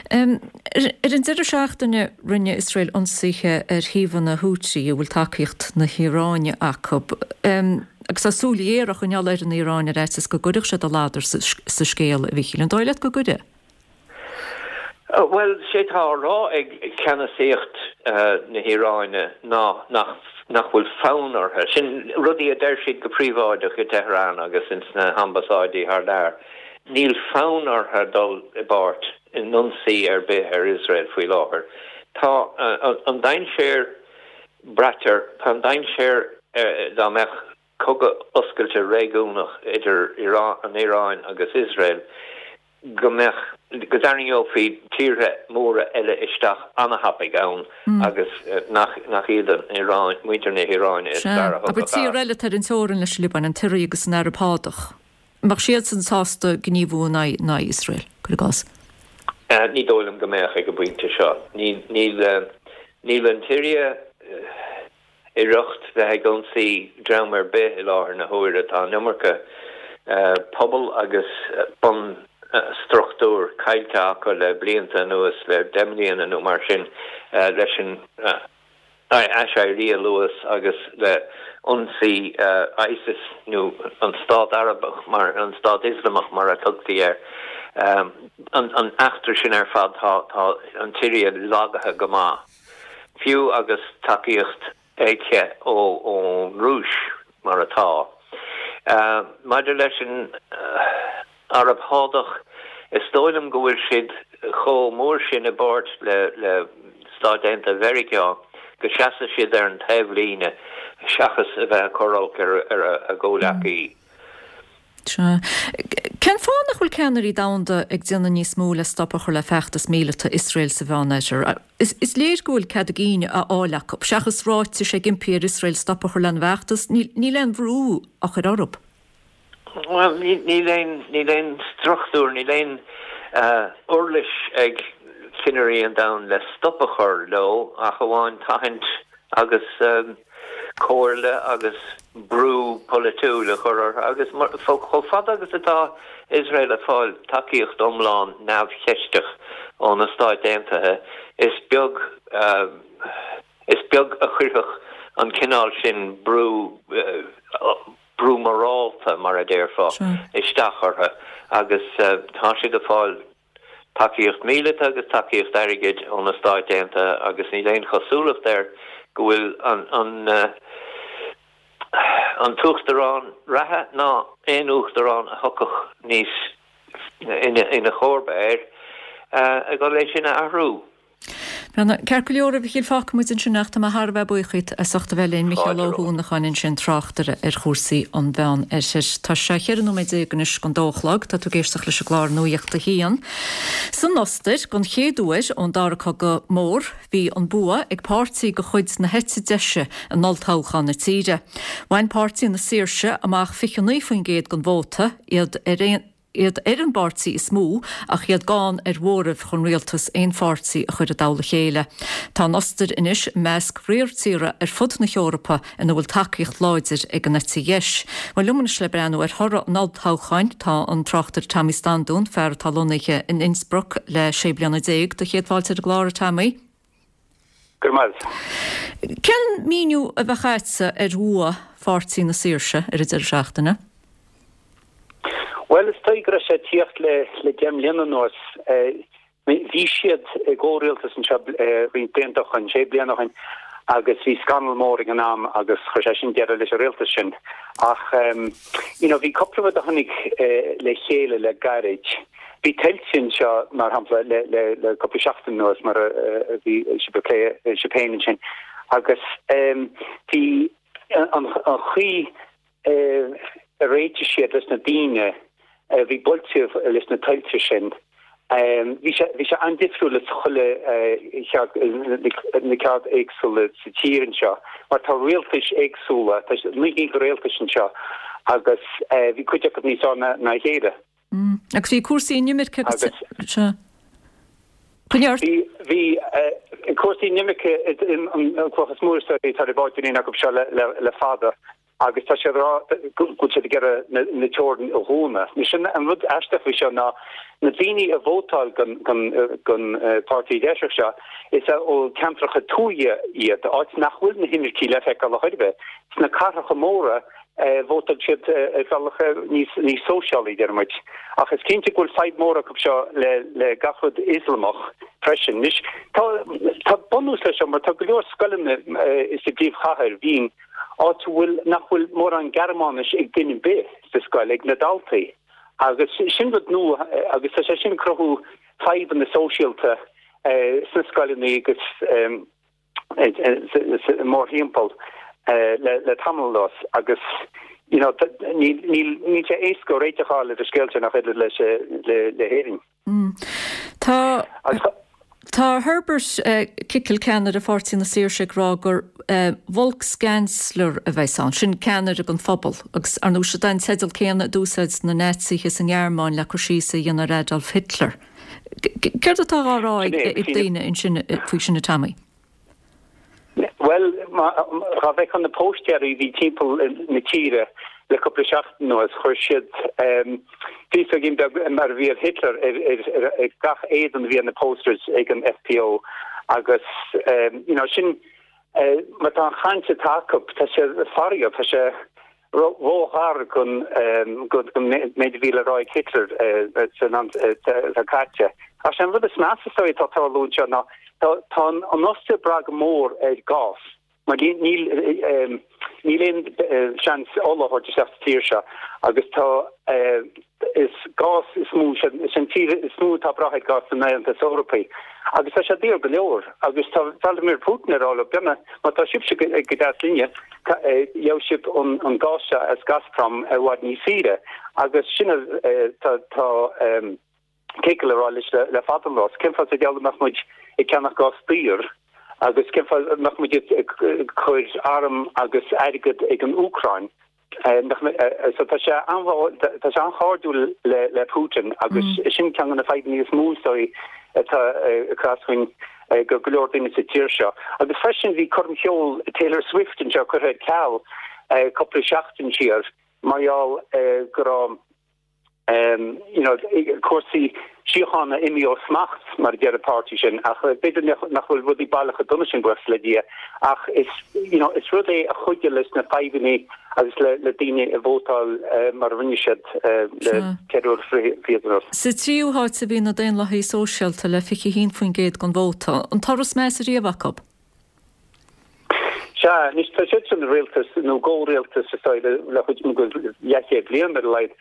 Ar an deireadh seachtaine rinne Iosrael ionsaithe ar shuíomhanna Houthi a bhfuil tacaíocht na hIaráine acu agus tá súil ghéar á choinneáil ar an Iaráin ar fhaitíos go gcuirfeadh siad a ladar sa scéal, a Mhíchíl. An dóigh leat go gcuirfidh? Bhuel, sé tá á rá ag ceannasaíocht na hIaráine ná nach nach bhfuil fonn orthu. Sin rudaí a deir siad go príobháideach i Tehran agus ins na hambasáidí thar lear. Níl fonn orthu dul i bpáirt in ionsaí ar bith ar Iosrael faoi láthair. Tá an dainséar, braitear, tá an dainséar dá mbeadh cogadh oscailte réigiúnach idir an Iaráin agus Iosrael, go mbeadh, go dtarraingeofaí tíortha móra eile isteach an-thapaidh ann agus nach, nach iad an Iaráin, muintir na hIaráine is fearr a Sea, abair thiocfadh tír as. eile atá ar an teorainn leis an Liobáin, an tSiria agus an Araib Shádach. An mbeadh siadsan sásta gníomhú in aghaidh, in aghaidh Iosrael, cuir i gcás? Ní dóigh liom go mbeadh ag an bpointe seo. Níl, níl, níl an tSiria i riocht bheith ag ionsaí dream ar bith i láthair na huaire. Tá an iomarca pobal agus bunstruchtúr caillte acu le blianta anuas, le deich mbliana nó mar sin, leis an aiséirí a luas agus le ionsaí ISIS nó an Stát Arabach mar, an Stát Ioslamach mar a tugtaí air. An eachtra sin ar fad, tá an tSiria lagaithe go maith. Fiú agus tacaíocht aici ón Rúis, mar atá. Maidir leis an Araib Shádach, is dóigh liom go bhfuil siad chomh mór sin i bpáirt le Stáit Aontaithe Mheiriceá go seasfaidh siad ar an taobhlíne seachas a bheith ag cur olc ar a gcomhleacaí. Sea. Cén fáth nach bhfuil ceannairí domhanda ag déanamh níos mó le stop a chur le feachtas míleata Iosrael sa Mheánoirthear? Is léir go bhfuil cead a gcinn á fháil acu. Seachas ráitis ag impí ar Iosrael stop a chur lena bhfeachtas, níl aon bhrú á chur orthu. Bhuel, níl aon, níl aon struchtúr, níl aon uirlis ag cinnirí an domhain le stop a chur leo ach amháin tathaint agus comhairle agus brú polaitiúil a chur orthu agus chomh fada agus atá Iosrael ag fáil tacaíocht iomlán neamhcheisteach ó na Stáit Aontaithe is beag is beag a chuirfeadh an cineál sin brú brú morálta mar a déarfá isteach orthu agus tá siad ag fáil tacaíocht mhíleata agus tacaíocht airgid ó na Stáit Aontaithe agus níl aon chosúlacht air go bhfuil an an t-uachtarán reatha ná aon uachtarán a thiocfadh níos ina chomharba air ag dul é sin a athrú. Ceart go leor, a Mhichíl, fágfaidh muid ansin ach tá mé thar a bheith buíoch díot as ucht a bheith linn, Micheál Ó hUanacháin ansin, tráchtaire ar chúrsaí an Mheán Oirthir. Tá sé cheithre nóiméad déag anois don dó a chlog, tá tú ag éisteacht leis an gclár Nuacht a hAon. San Ostair, don chéad uair ón Dara Cogadh Mór, bhí an bua ag páirtí de chuid na heite deise in olltoghchán na tíre. Bhain Páirtí na Saoirse amach fiche naoi faoin gcéad den vóta, iad ar aon. iad ar an bpáirtí is mó ach iad gann ar mhóramh chun rialtas aonpháirtí a chur i dtoll a chéile. Tá an Ostair anois i measc riar tíortha ar fud na hEorpa ina bhfuil tacaíocht láidir ag an eite dheis. Bhuel, liom anois le breathnú ar thoradh an olltoghcháin tá an tráchtaire Tommy Standún, fear atá lonnaithe in Innsbruck le sé bliana déag. Do chéad fáilte ar an gclár, a Tommy. Go raibh maith. Cén míniú a bheadh agatsa ar bhua Pháirtí na Saoirse ar an deireadh seachtaine? Bhuel, is dóigh go raibh sé ag tíocht le le deich mbliana anuas. Bhí siad i gcomhrialtas anseo roinnt blianta ó shin, sé bliana ó shin, agus bhí scannal mór ag an am agus chuir sé sin deireadh leis an rialtas sin. Ach you know bhí cúpla rud a tháinig le chéile le gairid. Bhí tuilte anseo, mar shampla, le le le cúpla seachtain anuas mar a bhí sibh ag plé sibh féin ansin agus bhí an chaoi a réitigh siad leis na daoine a bhí buailte leis na tuilte sin. Bhí sé bhí sé an-difriúil le chuile cheard na ceard éagsúla sa tír anseo mar tá rialtais éagsúla, tá naoi gcinn de rialtais anseo agus bhí cuid acu níos fearr ná a chéile. Agus bhí cúrsaí inimirce agus sea. Coinnigh ort. Bhí bhí cúrsaí inimirce an cloch is mó is dóigh atá ar bád in acu seo le le fada. Agus tá siad ag rá go bhfuil siad ag iarraidh na teorann a dhúnadh. Anois an rud aisteach faoi seo ná na daoine a vótáil don pháirtí deiseach seo, is ó ceantracha tuaithe iad, áit nach bhfuil na himircigh le feiceáil ar chor ar bith. Sna cathracha móra, vótáil siad ar bhealach níos sóisialaí, deir muid. Ach is cinnte go bhfuil fadhb mór acu seo le gach rud Ioslamach freisin. Anois tá bunús leis seo mar tá go leor scoileanna sa bpríomhchathair, Vín, áit a bhfuil, nach bhfuil mórán Gearmáinis ag duine ar bith sa scoil, ag na daltaí. Agus sin rud nua agus tá sé sin ag cruthú fadhbanna sóisialta sna scoileanna agus mórthimpeall le tamall anuas agus you know níl níl sé éasca réiteach a fháil ar an scéal sin ach oiread leis le hÉirinn. Tá Tá Herbert Kickl, ceannaire Pháirtí na Saoirse, ag rá gur Volkskanzler a bheas ann, sin ceannaire don phobal, agus ar ndóigh siod é an teideal céanna a d'úsáid na Naitsithe sa nGearmáin le cur síos a dhéanamh ar Adolf Hitler. Céard atá á rá ag daoine ansin faoi sin, a Tommy? Bhuel, dhá bhfeicfeá na póstaeirí a bhí timpeall na tíre le cúpla seachtain anuas, chuir siad féasóigín beag mar a bhí ar Hitler ar gach éadan a bhí ar na posters ag an FPO agus you know sin mar tá an chaint atá acu, tá sé faraor, tá sé ró-ghar don méid a bhí le rá ag Hitler san am atá caite. Ach sé an rud is measa is dóigh atá ag tarlú anseo ná tá an Ostair ag brath go mór ar gás mar níl níl aon seans ola a thabhairt isteach sa tír seo agus tá is gás is mó is an tír is mó atá ag brath ar gás san Aontas Eorpaí agus tá sé daor go leor agus tá Vladimir Putin ag rá leo b'ionann má tá sibhse go deas linne gheobhaidh sibh an gás seo as Gazprom i bhfad níos saoire agus sin tá tá Kickl ag rá leis le fada an lá. Cén fáth sa diabhal a mbeadh muid ag ceannach gás daor agus cén fáth a mbeadh muid ag cur arm agus airgead ag an Úcráin? So tá sé tá sé an-chairdiúil le le Putin agus sin ceann de na fadhbanna is mó is dóigh atá ag cur as dúinn go go leor daoine sa tír seo. Agus freisin bhí coirm cheoil Taylor Swift anseo curtha ar ceal cúpla seachtain siar mar gheall go raibh you know, cúrsaí síochána imithe ó smacht, mar a deir an páirtí sin, ach b'fhéidir nach bhfuil rudaí baileach chomh dona sin, buíochas le Dia, ach is, you know, is rud é a chuidigh leis na fadhbanna agus le, le daoine a vótáil mar a rinne siad le ceithre uair fichead anuas. Sa tríú háit a bhí na Daonlathaithe Sóisialta le fiche a haon faoin gcéad den vóta, an toradh is measa riamh acu. Sea, anois tá siad san rialtas nó gcomhrialtas is dóigh le chuid go leathchéad bliain ar a laghad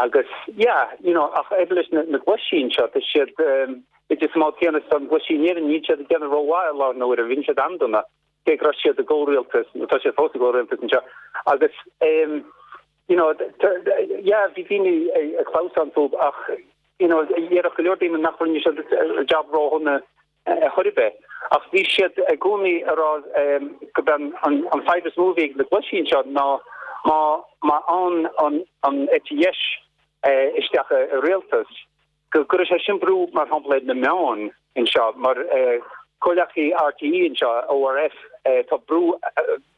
agus yeah, you know, ach oiread leis na na gluaisí anseo tá siad b'fhéidir sa mbád céanna is an gluaisí in Éirinn níl siad ag déanamh rómhaith i láthair na huaire, bhíonn siad an-dona cé go raibh siad i gcomhrialtas nó tá siad fós i gcomhrialtas anseo agus um, you know, yeah, bhí daoine ag clamhsán fúthu ach you know, déarfadh go leor daoine nach rinne siad jab ródhona ar chor ar bith. Ach bhí siad i gcónaí ag rá go b'é an fadhb is mó a bhí ag na gluaisí anseo ná má má thagann an an eite dheis isteach i rialtas go gcuirfeadh sé sin brú mar shampla ar na meáin anseo mar comhleacaí RTÉ anseo, ORF, tá brú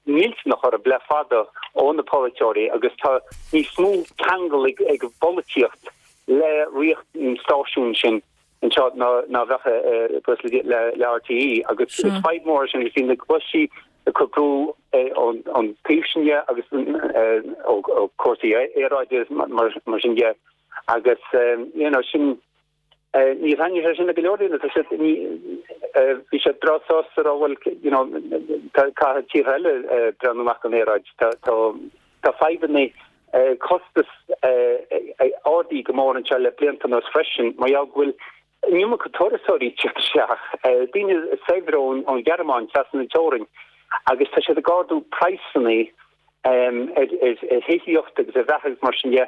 millteanach orthu le fada ó na polaiteoirí agus tá níos mó ceangal ag an bpolaitíocht le ríocht na stáisiún sin. anseo ná ná bheadh le le RTÉ agus is fadhb mór sin bhí na gluaisí ag cur brú ón ón taobh sin dhe agus ó ó cúrsaí aeráide mar mar sin dhe agus you know sin ní thaitníonn sé sin le go leor daoine tá siad ní bhí siad breá sásta rá bhuel you know caithfidh tíortha eile breathnú amach don aeráid tá tá tá fadhbanna costas ardaithe go mór anseo le blianta anuas freisin mar gheall go bhfuil an iomarca turasóirí ag teacht isteach, daoine saibhre ón Ghearmáin trasna na teorainn agus tá siad ag ardú praghsanna ar thithíocht agus ar bheatha agus mar sin de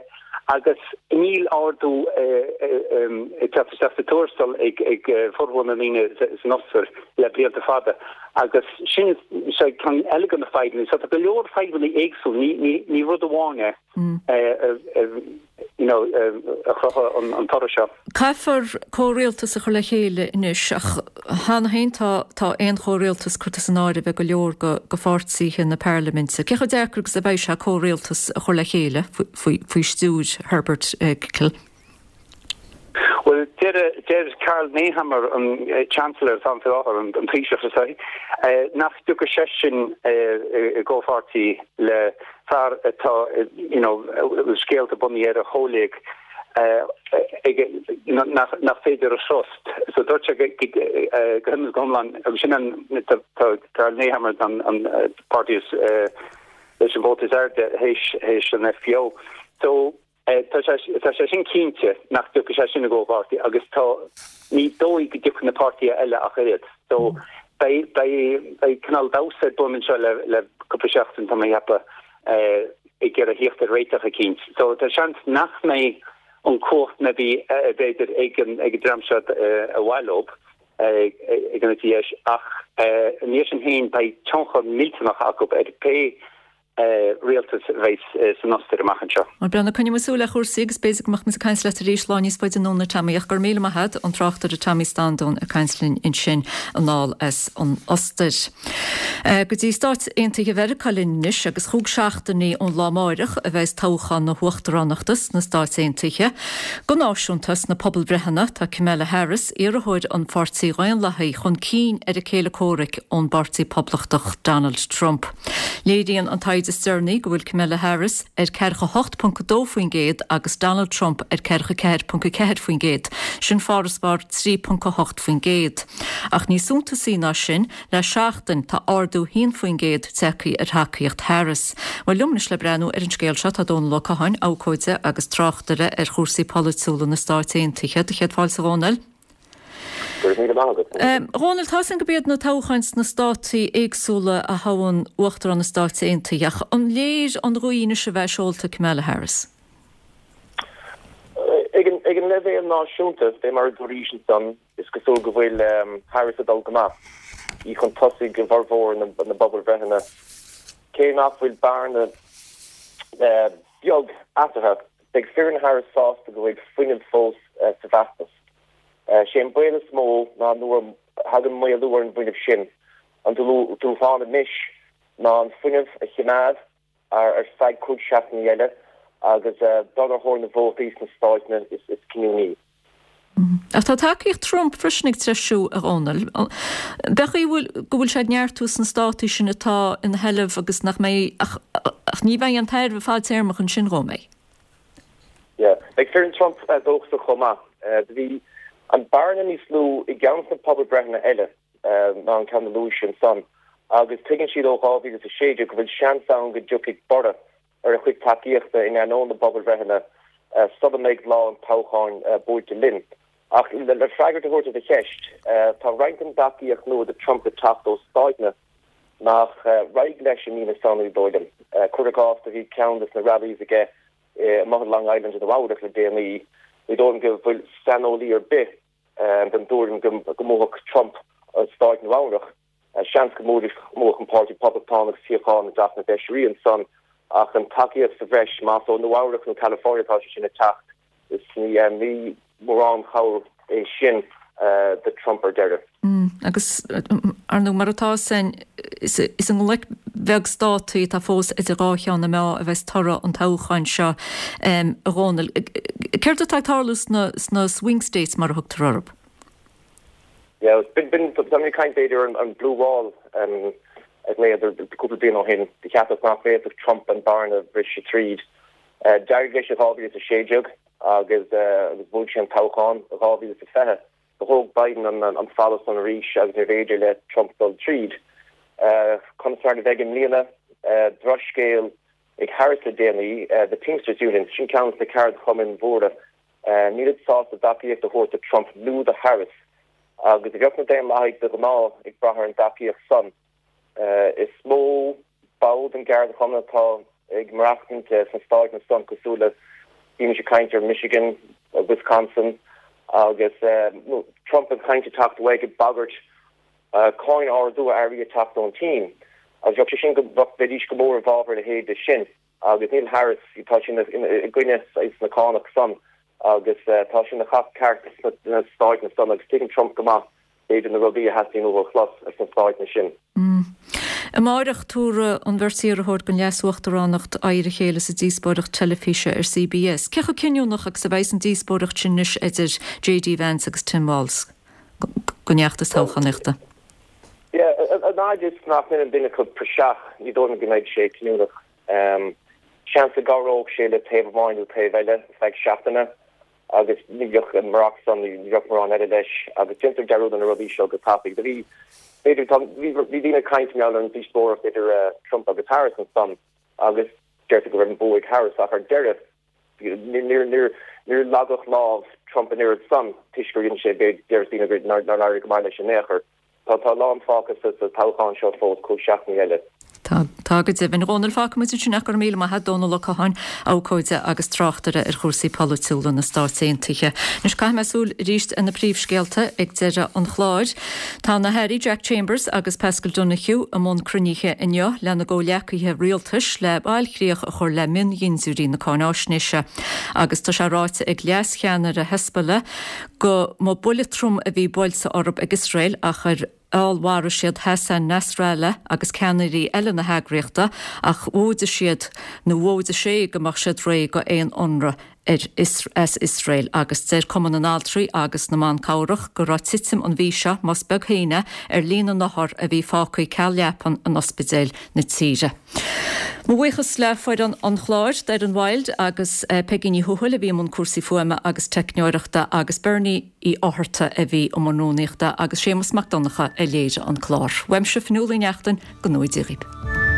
agus níl ardú ag teacht isteach sa tuarastal ag formhór na ndaoine san Ostair le blianta fada agus sin ceann eile de na fadhbanna. So tá go leor fadhbanna éagsúil, ní rud amháin é you know, a chruthaigh an toradh seo. Caithfear comhrialtas a chur le chéile anois ach cheana féin tá tá aon chomhrialtas curtha san áireamh ag go leor de pháirtithe na parlaiminte. Cé chomh deacair agus a bheidh sé comhrialtas a chur le chéile faoi faoi stiúir Herbert Kickl? Bhuel, deir deir Karl Nehammer, an Chancellor atá ann faoi láthair, an Taoiseach is é, nach dtiocfaidh seisean i gcomhpháirtí le fear atá you know bhfuil scéalta bunaithe ar a chomhléig aige nach nach féidir a thrust. So dúirt sé go go hiomlán agus sin an tá Karl Nehammer an an páirtí is leis an vóta is airde théis théis an FPÖ. So Tá sé sin cinnte nach dtiocfaidh sé sin i gcomhpháirtí agus tá ní dóigh go dtiocfaidh na páirtithe eile ach oiread. So beidh beidh cineál damhsa ar bun anseo le le cúpla seachtain tá mé ag ceapadh ag iarraidh theacht ar réiteach eicínt. So tá seans nach mbeidh an cumhacht maybe b'fhéidir ag an ag an dream seo ar mhaith leo ag an eite dheis ach ina dhiaidh sin féin beidh tionchar millteanach acu ar pé rialtas a bheas san Ostair amach anseo. Bhuel, Breandán, coinneoidh muid súil ar chúrsaí agus b'fhéidir go mbeadh muid ag caint leat arís lá níos faide anonn, a Tommy, ach go raibh míle maith agat, an tráchtaire Tommy Standún ag caint linn ansin anall as an Ostair. Go dtí Stáit Aontaithe Mheiriceá linn anois agus chúig seachtainí ón lá amáireach a bheas toghchán na huachtaránachta sna Stáit Aontaithe. Go náisiúnta sna pobalbhreitheanna tá Kamala Harris, iarrthóir an Pháirtí Dhaonlathaigh, chun cinn ar a céile comhraic ón bPáirtí Poblachtach Donald Trump. Léiríonn an taighde is deireanaí go bhfuil Kamala Harris ar ceathracha hocht ponc a dó faoin gcéad agus Donald Trump ar ceathracha ceathair ponc a ceathair faoin gcéad, sin farasbarr trí ponc a hocht faoin gcéad. Ach níos suntasaí ná sin, le seachtain tá ardú haon faoin gcéad tagtha ar thacaíocht Harris. Bhuel, liom anois le breathnú ar an scéal seo tá Dónal Ó Catháin, abhcóide agus tráchtaire ar chúrsaí polaitiúla na Stát Aontaithe. Do chéad fáilte, a Dhónaill. Go raibh míle maith agat. A Dhónaill, tá a fhios againn gurb iad na toghcháin sna státaí éagsúla a thoghann Uachtarán na Stáit Aontaithe, ach an léir an ghaoth anois a bheith seolta ag Kamala Harris? Ag an leibhéal náisiúnta, fé mar a dúraís ansan, is cosúil go bhfuil Harris ag dul go maith, í chun tosaigh i bhformhór na bpobalbhreitheanna. Cé nach bhfuil bearna beag eatarthu, beidh foireann Harris sásta go bhfuil fuinneamh fós sa bhfeachtas. Sé an baol is mó ná nuair a thagann maolú ar an bhfuinneamh sin. An dúshlán anois ná an fuinneamh a choimeád ar feadh cúig seachtainí eile agus dul ar thóir na vótaí sna stáit is cinniúnaí. Ach tá tacaíocht Trump freisin ag treisiú, a Dhónaill. B'fhéidir go bhfuil sé ag neartú sna státaí sin atá ina sheilbh agus nach mbeidh ach ní bheidh an tairbhe fadtéarmach ansin dhó, an mbeidh? Yeah. Beidh foireann Trump dóchasach chomh maith. Do bhí an bearna níos lú i gceann de na pobalbhreitheanna eile ná an ceann a luaís ansan, Agus tuigeann siad ó dhá mhíle is a sé déag go bhfuil seans ann go dtiocfaidh borradh ar a chuid tacaíochta in ainneoin na bpobalbhreitheanna sula mbeidh lá an toghcháin buailte linn. Ach le freagairt a thabhairt ar do cheist, tá roinnt den dtacaíocht nua do Trump ag teacht ó stáiteanna nach raghadh leis i mí na Samhna, ní dóigh liom. Cuir i gcás, do bhí ceann de na rallies aige amuigh i Long Island i Nua Eabhrac le déanaí. Ní dóigh liom go bhfuil saineolaí ar bith den dtuairim go mbuafadh Trump stáit Nua Eabhrac. Seans go mbuafadh an Páirtí Poblachtánach suíochán i dTeach na bhFeisirí ansan ach an tacaíocht sa bhreis, más ó Nua Eabhrac nó California atá sé sin ag teacht, is ní mórán cabhair é sin do Trump ar deireadh. Agus, ar ndóigh, mar atá san, is i ngloic bheag státaí atá fós idir dhá cheann na meá a bheas toradh an toghcháin seo, a Dhónaill. Céard atá ag tarlú sna swing states, mar a thugtar orthu? Yeah, b'in, b'in, tá mé ag caint b'fhéidir ar an blue wall a ghlaodar cúpla bliain ó shin, do cheapadh nach bhféadfadh Trump an bearna a bhriseadh tríd. D'éirigh leis i dhá mhíle is a sé déag agus agus bhuaigh sé an toghchán i dhá mhíle is a fiche. Do thóg Biden an an falla san arís agus níorbh fhéidir le Trump dul tríd. Conas mar a bheidh i mbliana? Drochscéal ag Harris le déanaí, The Teamsters Union, sin ceann de na ceardchumainn mhóra, nílid sásta tacaíocht a thabhairt do Trump nó do Harris. Agus bheadh na Daonlathaigh de ghnáth ag brath ar an dtacaíocht san. Is mó ball den gceardchumann atá ag maireachtaint sna stáiteanna san, cosúil le, bímis ag caint ar Michigan, Wisconsin, agus Trump ag caint ag teacht uaidh ag bagairt cáin ardú ar earraí ag teacht ón tSín. Agus bheadh sé sin go, bheidís go mór i bhfabhar a leithéid de sin. Agus níl Harris, tá sí i gcoinne na cánach san agus tá sí ina chac ceart sna stáiteanna san agus tuigeann Trump go maith b'fhéidir na rudaí a theastaíonn uathu a chlos sna stáiteanna sin. Amáireach tabharfaidh an bheirt iarrthóir don leas-uachtaránacht aghaidh ar a chéile sa díospóireacht teilifíse ar C B S. Cé chomh cinniúnach agus a bheidh an díospóireacht sin anois idir J D Vance agus Tim Walz don fheachtas toghchánaíochta? Yeah, an fhaid is nach ndeineann duine acu praiseach, ní dóigh liom go mbeidh sé cinniúnach. Seans go gcabhródh sé le taobh amháin nó taobh eile ar feadh seachtaine agus ní bheadh murach san, ní bheadh mórán eile leis agus déantar dearúd ar na rudaí seo go tapaidh. Do bhí, b'fhéidir, tá, bhí, bhí daoine ag caint mar gheall ar an díospóireacht idir Trump agus Harris ansan agus deirtear go raibh an bua ag Harris ach ar deireadh níor, níor, níor leagadh lámh Trump an oiread san toisc gur dhein sé, b'fhéidir, deir daoine gur, nár, nár éirigh go maith leis in aon chor. Tá tá a lán fágtha sa sa toghchán seo fós, cúig seachtainí eile. Tá, tá go deimhin. A Dhónaill, fágfaidh muid ansin ach go raibh míle maith agat, Dónal Ó Catháin, abhcóide agus tráchtaire ar chúrsaí polaitiúla na Stáit Aontaithe. Anois caithfidh mé súil arís ar na príomhscéalta ag deireadh an chláir. Tá na hAirí Jack Chambers agus Paschal Donohoe i mbun cruinnithe inniu lena gcomhghleacaithe rialtais le bailchríoch a chur le miondhintiúirí na cáináisnéise. Agus tá sé ráite ag leascheannaire Hezbollah go mba buille trom a bhí buailte orthu ag Iosrael ach ar fheallmharaigh siad Hassan Nasrallah agus ceannairí eile na heagraíochta ach mhóide siad nó mhóide sé go mbeadh siad réidh go aon ionradh ar as Iosrael agus deir Cumann na nAltraí agus na mBan Cabhrach go raibh titim an mhí seo, más beag féin é, ar líon na n-othar a bhí fágtha ceal leapan in ospidéil na tíre. Mo bhuíochas le foireann an chláir, Doireann Wilde agus Peigí Ní Thuathail a bhí i mbun cúrsaí fuaime agus teicneoireachta agus Bernie Uí Fhátharta a bhí i mbun rúnaíochta agus Séamus Mac Donncha a léirigh an clár. Uaimse Fionnuala Ní Neachtain, go ngnóthaí Dia dhaoibh.